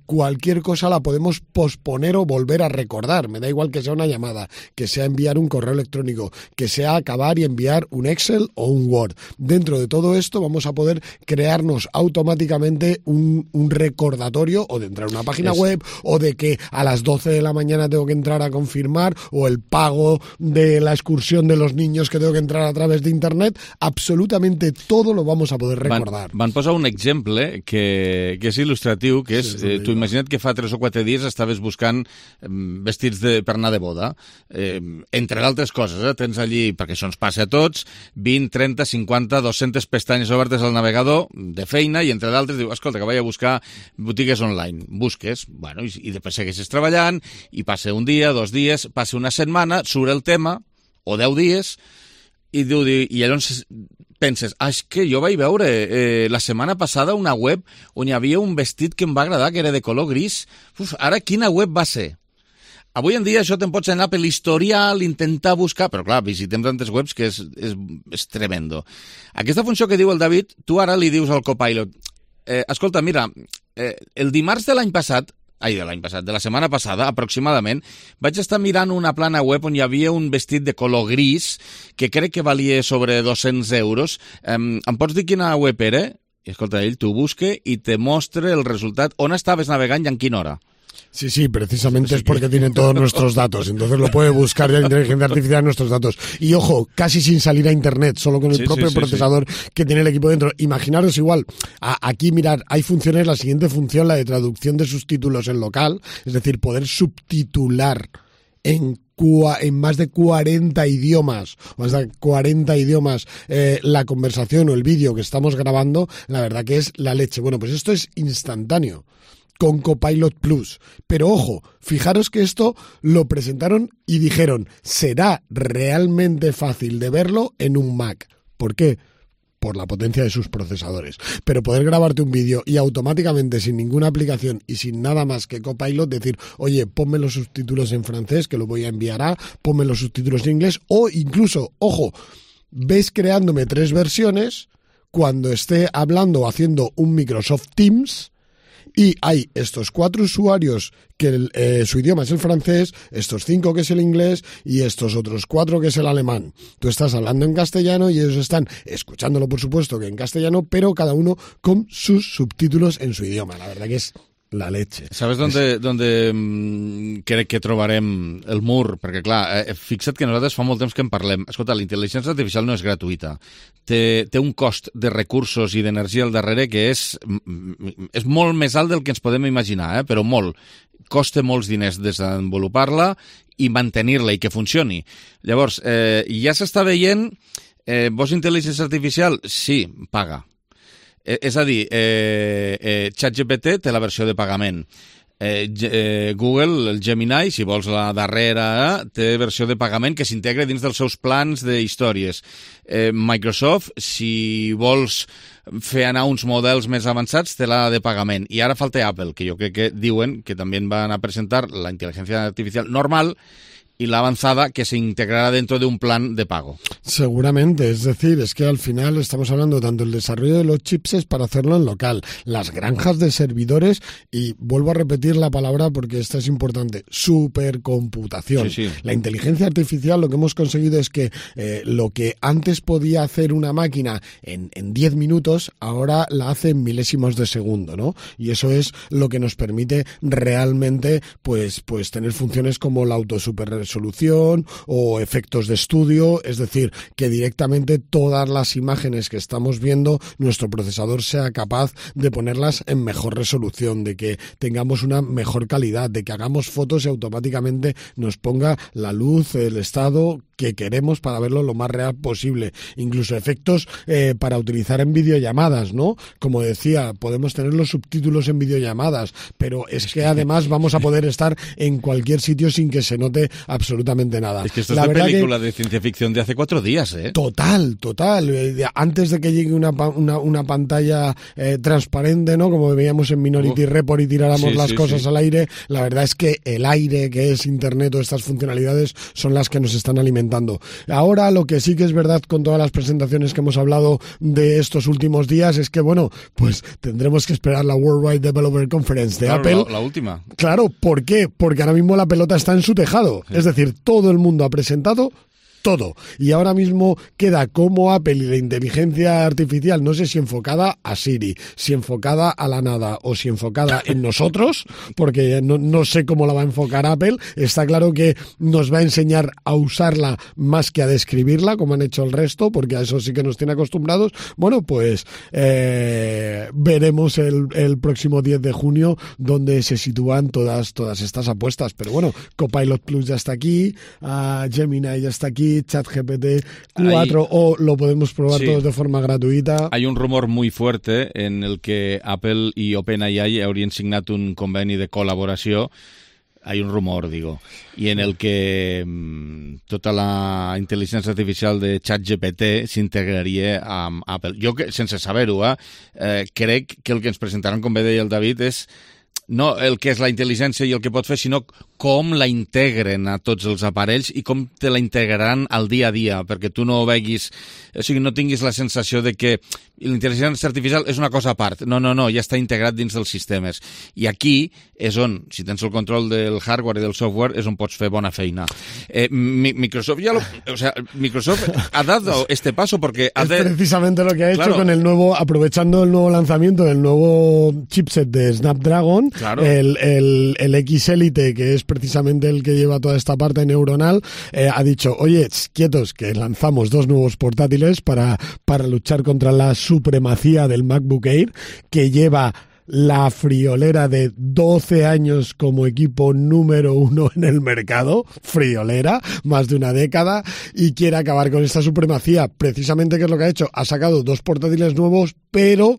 cualquier cosa la podemos posponer o volver a recordar. Me da igual que sea una llamada, que sea enviar un correo electrónico, que sea acabar y enviar un Excel o un Word. Dentro de todo esto vamos a poder crearnos automáticamente un recordatorio, o de entrar a una página web, o de que a las 12 de la mañana tengo que entrar a confirmar, o el pago de la excursión de los niños que tengo que entrar a través de internet. Absolutament todo lo vamos a poder recordar. Van posar un exemple que és il·lustratiu, que és, tu imagina't que fa 3 o 4 dies estaves buscant vestits per anar de boda, entre d'altres coses, tens allí, perquè això ens passa a tots, 20, 30, 50, 200 pestanyes obertes al navegador de feina, i entre d'altres diu, escolta, que vaig a buscar botigues online. Busques, bueno, i després segueixes treballant, i passa un dia, 2 dies, passa una setmana, surt el tema, o 10 dies, i llavors penses, és que jo vaig veure la setmana passada una web on hi havia un vestit que em va agradar, que era de color gris. Ara, quina web va ser? Avui en dia això te'n pots anar per l'historial, intentar buscar, però clar, visitem tantes webs que és tremendo. Aquesta funció que diu el David, tu ara li dius al Copilot, escolta, mira, el dimarts de l'any passat, de la setmana passada, aproximadament, vaig estar mirant una plana web on hi havia un vestit de color gris que crec que valia sobre 200 euros. Em pots dir quina web era? I escolta, ell t'ho busca i te mostra el resultat, on estaves navegant i en quina hora. Sí, precisamente es porque tiene todos nuestros datos, entonces lo puede buscar ya la inteligencia artificial en nuestros datos. Y ojo, casi sin salir a internet, solo con el propio procesador que tiene el equipo dentro. Imaginaros igual, aquí mirad, hay funciones, la siguiente función, la de traducción de subtítulos en local, es decir, poder subtitular en más de 40 idiomas, la conversación o el vídeo que estamos grabando, la verdad que es la leche. Bueno, pues esto es instantáneo con Copilot Plus. Pero ojo, fijaros que esto lo presentaron y dijeron, será realmente fácil de verlo en un Mac. ¿Por qué? Por la potencia de sus procesadores. Pero poder grabarte un vídeo y automáticamente, sin ninguna aplicación y sin nada más que Copilot, decir, oye, ponme los subtítulos en francés, que lo voy a enviar ponme los subtítulos en inglés, o incluso, ojo, ves creándome 3 versiones cuando esté hablando o haciendo un Microsoft Teams, y hay estos 4 usuarios que su idioma es el francés, estos 5 que es el inglés y estos otros 4 que es el alemán. Tú estás hablando en castellano y ellos están escuchándolo, por supuesto, que en castellano, pero cada uno con sus subtítulos en su idioma. La verdad que es la leche. ¿Sabes dónde crec que trobarem el mur? Perquè, clar, fixa't que nosaltres fa molt temps que en parlem. Escolta, la intel·ligència artificial no és gratuïta. Té un cost de recursos i d'energia al darrere que és molt més alt del que ens podem imaginar, però molt. Costa molts diners desenvolupar-la i mantenir-la i que funcioni. Llavors, ja s'està veient, vols intel·ligència artificial? Sí, paga. És a dir, ChatGPT té la versió de pagament. Google, el Gemini, si vols la darrera, té versió de pagament que s'integra dins dels seus plans d'històries. Microsoft, si vols fer anar uns models més avançats, té la de pagament. I ara falta Apple, que jo crec que diuen que també van a presentar la intel·ligència artificial normal y la avanzada que se integrará dentro de un plan de pago. Seguramente, es decir, es que al final estamos hablando tanto del desarrollo de los chips es para hacerlo en local, las granjas de servidores y vuelvo a repetir la palabra porque esta es importante, supercomputación. Sí, sí. La inteligencia artificial lo que hemos conseguido es que lo que antes podía hacer una máquina en 10 minutos, ahora la hace en milésimos de segundo, ¿no? Y eso es lo que nos permite realmente pues tener funciones como la autosuperresolución o efectos de estudio, es decir, que directamente todas las imágenes que estamos viendo, nuestro procesador sea capaz de ponerlas en mejor resolución, de que tengamos una mejor calidad, de que hagamos fotos y automáticamente nos ponga la luz, el estado que queremos para verlo lo más real posible. Incluso efectos para utilizar en videollamadas, ¿no? Como decía, podemos tener los subtítulos en videollamadas, pero es que además vamos a poder estar en cualquier sitio sin que se note absolutamente nada. Es que esto es de película de ciencia ficción de hace 4 días, ¿eh? Total. Antes de que llegue una pantalla transparente, ¿no? Como veíamos en Minority Report y tiráramos las cosas al aire, la verdad es que el aire que es Internet o estas funcionalidades son las que nos están alimentando. Ahora lo que sí que es verdad con todas las presentaciones que hemos hablado de estos últimos días es que, bueno, pues tendremos que esperar la Worldwide Developer Conference de Apple. La última. Claro, ¿por qué? Porque ahora mismo la pelota está en su tejado. Sí. Es decir, todo el mundo ha presentado todo. Y ahora mismo queda como Apple y la inteligencia artificial, no sé si enfocada a Siri, si enfocada a la nada o si enfocada en nosotros, porque no sé cómo la va a enfocar Apple. Está claro que nos va a enseñar a usarla más que a describirla, como han hecho el resto, porque a eso sí que nos tiene acostumbrados. Bueno, pues veremos el próximo 10 de junio donde se sitúan todas estas apuestas. Pero bueno, Copilot Plus ya está aquí, Gemini ya está aquí, ChatGPT 4 o lo podemos probar todos de forma gratuita. Hay un rumor muy fuerte en el que Apple y OpenAI haurien signat un conveni de col·laboració. Hay un rumor, digo, y en el que tota la intel·ligència artificial de ChatGPT s'integraria amb Apple. Jo, sense saber-ho, crec que el que ens presentaran, com bé deia el David, és no el que és la intel·ligència i el que pot fer, sinó com la integren a tots els aparells i com te la integraran al dia a dia, perquè tu no veguis, o sigui, no tinguis la sensació de que l'intel·ligència artificial és una cosa a part. No, ja està integrat dins dels sistemes. I aquí és on, si tens el control del hardware i del software, és on pots fer bona feina. Microsoft Microsoft ha dado este paso porque es precisamente lo que ha hecho con el nuevo, aprovechando el nuevo lanzamiento del nuevo chipset de Snapdragon, el X Elite, que es precisamente el que lleva toda esta parte neuronal, ha dicho, oye, quietos, que lanzamos 2 nuevos portátiles para luchar contra la supremacía del MacBook Air, que lleva la friolera de 12 años como equipo número 1 en el mercado, friolera, más de una década, y quiere acabar con esta supremacía. Precisamente, ¿qué es lo que ha hecho? Ha sacado 2 portátiles nuevos, pero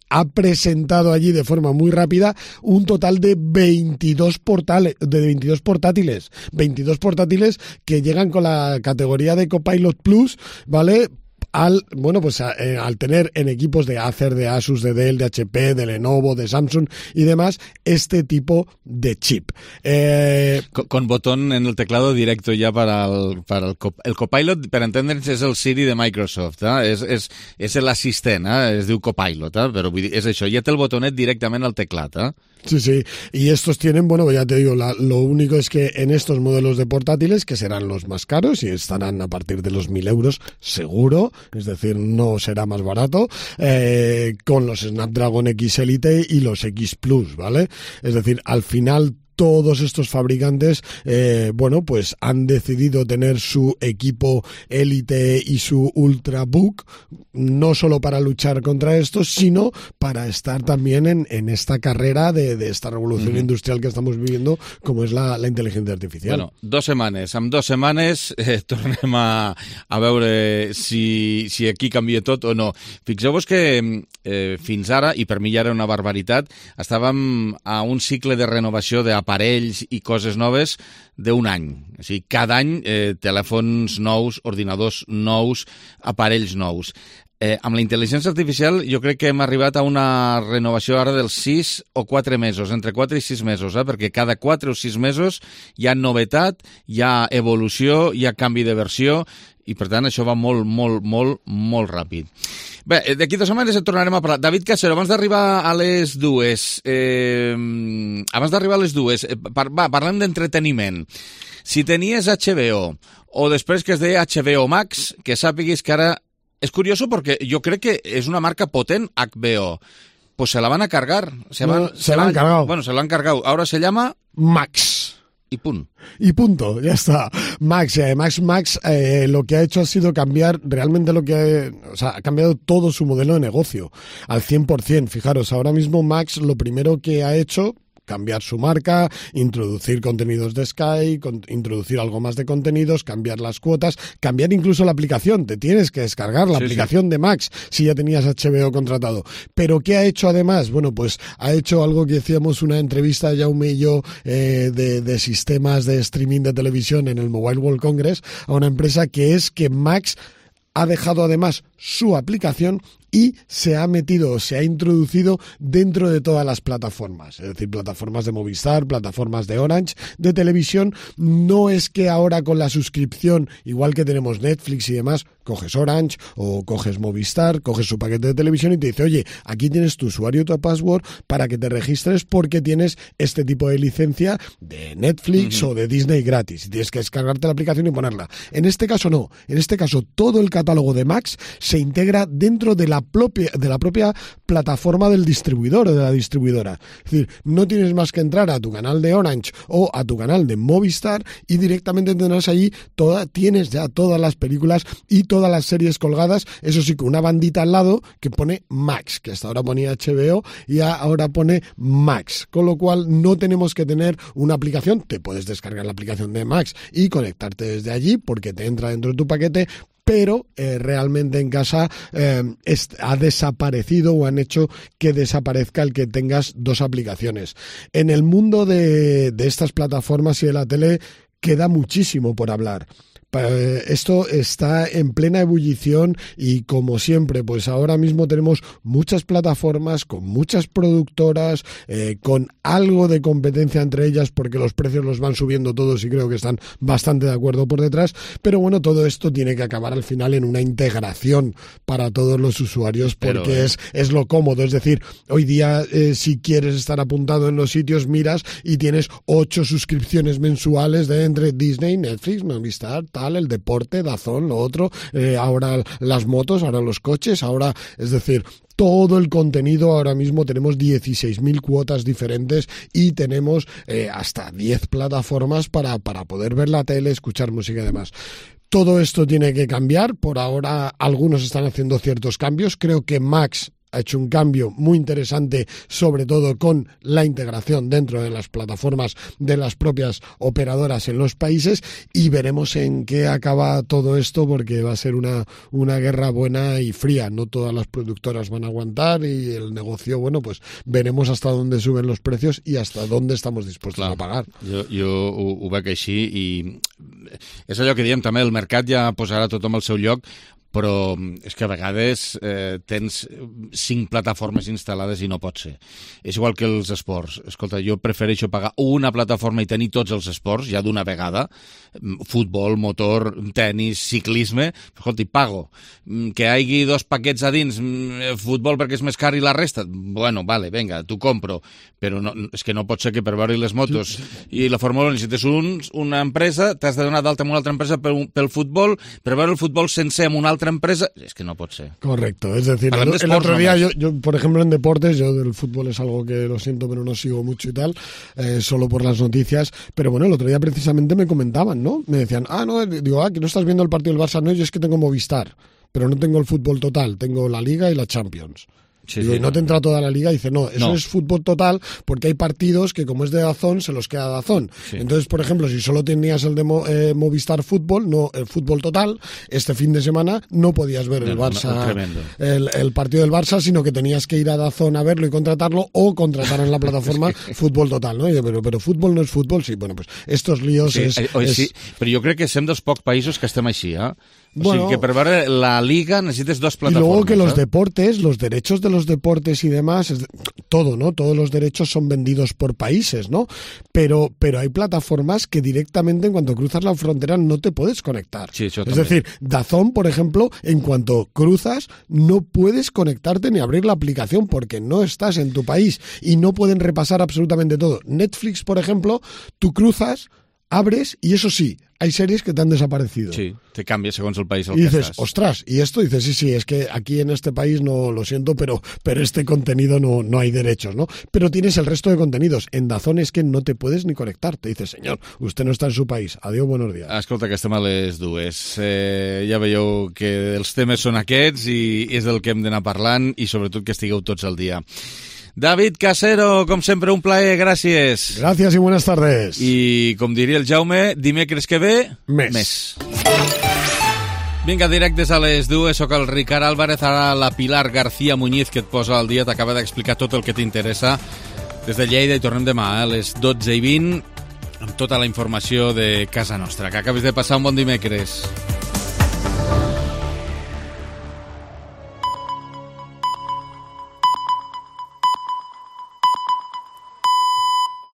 ha presentado allí de forma muy rápida un total de 22 portátiles. 22 portátiles que llegan con la categoría de Copilot Plus, ¿vale? Al tener en equipos de Acer, de Asus, de Dell, de HP, de Lenovo, de Samsung y demás, este tipo de chip. Con botón en el teclado directo ya para el Copilot, per entendre'ns, és el Siri de Microsoft, és l'assistent, es diu Copilot, però vull dir, és això, ja té el botonet directament al teclat. Sí, y estos tienen, ya te digo, lo único es que en estos modelos de portátiles, que serán los más caros y estarán a partir de los 1.000 euros seguro, es decir, no será más barato, con los Snapdragon X Elite y los X Plus, ¿vale? Es decir, al final todos estos fabricantes, bueno, pues han decidido tener su equipo élite y su Ultrabook, no solo para luchar contra esto, sino para estar también en esta carrera de esta revolución industrial que estamos viviendo, como es la inteligencia artificial. Bueno, 2 setmanes. En 2 setmanes tornem a veure si aquí canvia tot o no. Fixeu-vos que fins ara, i per mi ja era una barbaritat, estàvem a un cicle de renovació d'aparells i coses noves d'un any. O sigui, cada any telèfons nous, ordinadors nous, aparells nous. Amb la intel·ligència artificial jo crec que hem arribat a una renovació ara dels 6 o 4 mesos, entre 4 i 6 mesos, perquè cada 4 o 6 mesos hi ha novetat, hi ha evolució, hi ha canvi de versió, i per tant això va molt, molt, molt, molt ràpid. Bé, d'aquí 2 setmanes en tornarem a parlar. David Casero, abans d'arribar a les 2, parlem d'entreteniment. Si tenies HBO, o després que es deia HBO Max, que sàpiguis que ara... És curioso porque yo creo que es una marca potente, HBO. Pues se la van a cargar. Se la han cargado. Bueno, se la han cargado. Ahora se llama... Max. Y punto. Y punto, ya está. Max lo que ha hecho ha sido cambiar realmente ha cambiado todo su modelo de negocio al 100%. Fijaros, ahora mismo Max lo primero que ha hecho... cambiar su marca, introducir contenidos de Sky, introducir algo más de contenidos, cambiar las cuotas, cambiar incluso la aplicación. Te tienes que descargar la aplicación de Max si ya tenías HBO contratado. ¿Pero qué ha hecho además? Bueno, pues ha hecho algo que decíamos, una entrevista, Jaume y yo, de sistemas de streaming de televisión en el Mobile World Congress, a una empresa que es que Max ha dejado además su aplicación y se ha introducido dentro de todas las plataformas, es decir, plataformas de Movistar, plataformas de Orange, de televisión. No es que ahora con la suscripción, igual que tenemos Netflix y demás, coges Orange o coges Movistar, coges su paquete de televisión y te dice, oye, aquí tienes tu usuario y tu password para que te registres porque tienes este tipo de licencia de Netflix o de Disney gratis. Y tienes que descargarte la aplicación y ponerla. En este caso no. En este caso todo el catálogo de Max se integra dentro de la propia plataforma del distribuidor o de la distribuidora. Es decir, no tienes más que entrar a tu canal de Orange o a tu canal de Movistar y directamente tendrás allí tienes ya todas las películas y todas las series colgadas, eso sí, con una bandita al lado que pone Max, que hasta ahora ponía HBO y ahora pone Max, con lo cual no tenemos que tener una aplicación. Te puedes descargar la aplicación de Max y conectarte desde allí porque te entra dentro de tu paquete, pero realmente en casa ha desaparecido o han hecho que desaparezca el que tengas 2 aplicaciones. En el mundo de estas plataformas y de la tele queda muchísimo por hablar. Esto está en plena ebullición y, como siempre, pues ahora mismo tenemos muchas plataformas con muchas productoras, con algo de competencia entre ellas porque los precios los van subiendo todos y creo que están bastante de acuerdo por detrás, pero bueno, todo esto tiene que acabar al final en una integración para todos los usuarios porque es lo cómodo. Es decir, hoy día si quieres estar apuntado en los sitios, miras y tienes 8 suscripciones mensuales de entre Disney, Netflix, Movistar, el deporte, DAZN, lo otro, ahora las motos, ahora los coches, ahora, es decir, todo el contenido. Ahora mismo tenemos 16.000 cuotas diferentes y tenemos hasta 10 plataformas para poder ver la tele, escuchar música y demás. Todo esto tiene que cambiar. Por ahora algunos están haciendo ciertos cambios. Creo que Max ha hecho un cambio muy interesante, sobre todo con la integración dentro de las plataformas de las propias operadoras en los países, y veremos en qué acaba todo esto, porque va a ser una guerra buena y fría. No todas las productoras van a aguantar y el negocio, bueno, pues veremos hasta dónde suben los precios y hasta dónde estamos dispuestos a pagar. Jo ho veig així i és allò que diem també, el mercat ja posarà tothom al seu lloc, però és que a vegades tens 5 plataformes instal·lades i no pot ser. És igual que els esports. Escolta, jo prefereixo pagar una plataforma i tenir tots els esports, ja d'una vegada, futbol, motor, tenis, ciclisme, escolta, i pago. Que hi hagi 2 paquets a dins, futbol perquè és més car i la resta, bueno, vale, venga, t'ho compro, però no, és que no pot ser que per veure les motos i la Fórmula 1 necessites una empresa, t'has de donar d'alta amb una altra empresa pel futbol, per veure el futbol sencer amb una altra otra empresa... Es que no pot ser. Correcto, es decir, el otro día, yo, por ejemplo, en deportes, yo del fútbol es algo que lo siento, pero no sigo mucho y tal, solo por las noticias, pero bueno, el otro día precisamente me comentaban, ¿no? Me decían, que no estás viendo el partido del Barça, no, yo es que tengo Movistar, pero no tengo el fútbol total, tengo la Liga y la Champions. Y no te entra toda la liga, y dice, no, eso es fútbol total, porque hay partidos que como es de DAZN, se los queda DAZN. Sí. Entonces, por ejemplo, si solo tenías el de Movistar Fútbol, no el fútbol total, este fin de semana no podías ver el Barça, el partido del Barça, sino que tenías que ir a DAZN a verlo y contratarlo, o contratar en la plataforma fútbol total, ¿no? Pero fútbol no es fútbol, sí, bueno, pues estos líos sí, sí, però jo crec que som dels pocs països que estem així, O sea, que para ver la liga necesitas dos plataformas. Y luego que los deportes, los derechos de los deportes y demás, todo, ¿no? Todos los derechos son vendidos por países, ¿no? Pero hay plataformas que directamente en cuanto cruzas la frontera no te puedes conectar. Sí, es decir, DAZN, por ejemplo, en cuanto cruzas no puedes conectarte ni abrir la aplicación porque no estás en tu país y no pueden repasar absolutamente todo. Netflix, por ejemplo, tú cruzas, abres y eso sí, hay series que te han desaparecido. Sí, te cambia según el país al y que dices, estás. ostras, y esto dices, sí, es que aquí en este país no lo siento, pero este contenido no hay derechos, ¿no? Pero tienes el resto de contenidos. En DAZN es que no te puedes ni conectar. Te dices, señor, usted no está en su país. Adiós, buenos días. Escolta, que estem a les dues. Ja veieu que els temes són aquests i és del que hem d'anar parlant i sobretot que estigueu tots al dia. David Casero, com sempre, un plaer, gràcies. Gràcies i buenas tardes. I, com diria el Jaume, dimecres que ve, més. Vinga, directes a les dues, soc el Ricard Álvarez, ara la Pilar García Muñiz, que et posa al dia, t'acaba d'explicar tot el que t'interessa des de Lleida, i tornem demà a les 12:20 amb tota la informació de casa nostra. Que acabes de passar un bon dimecres.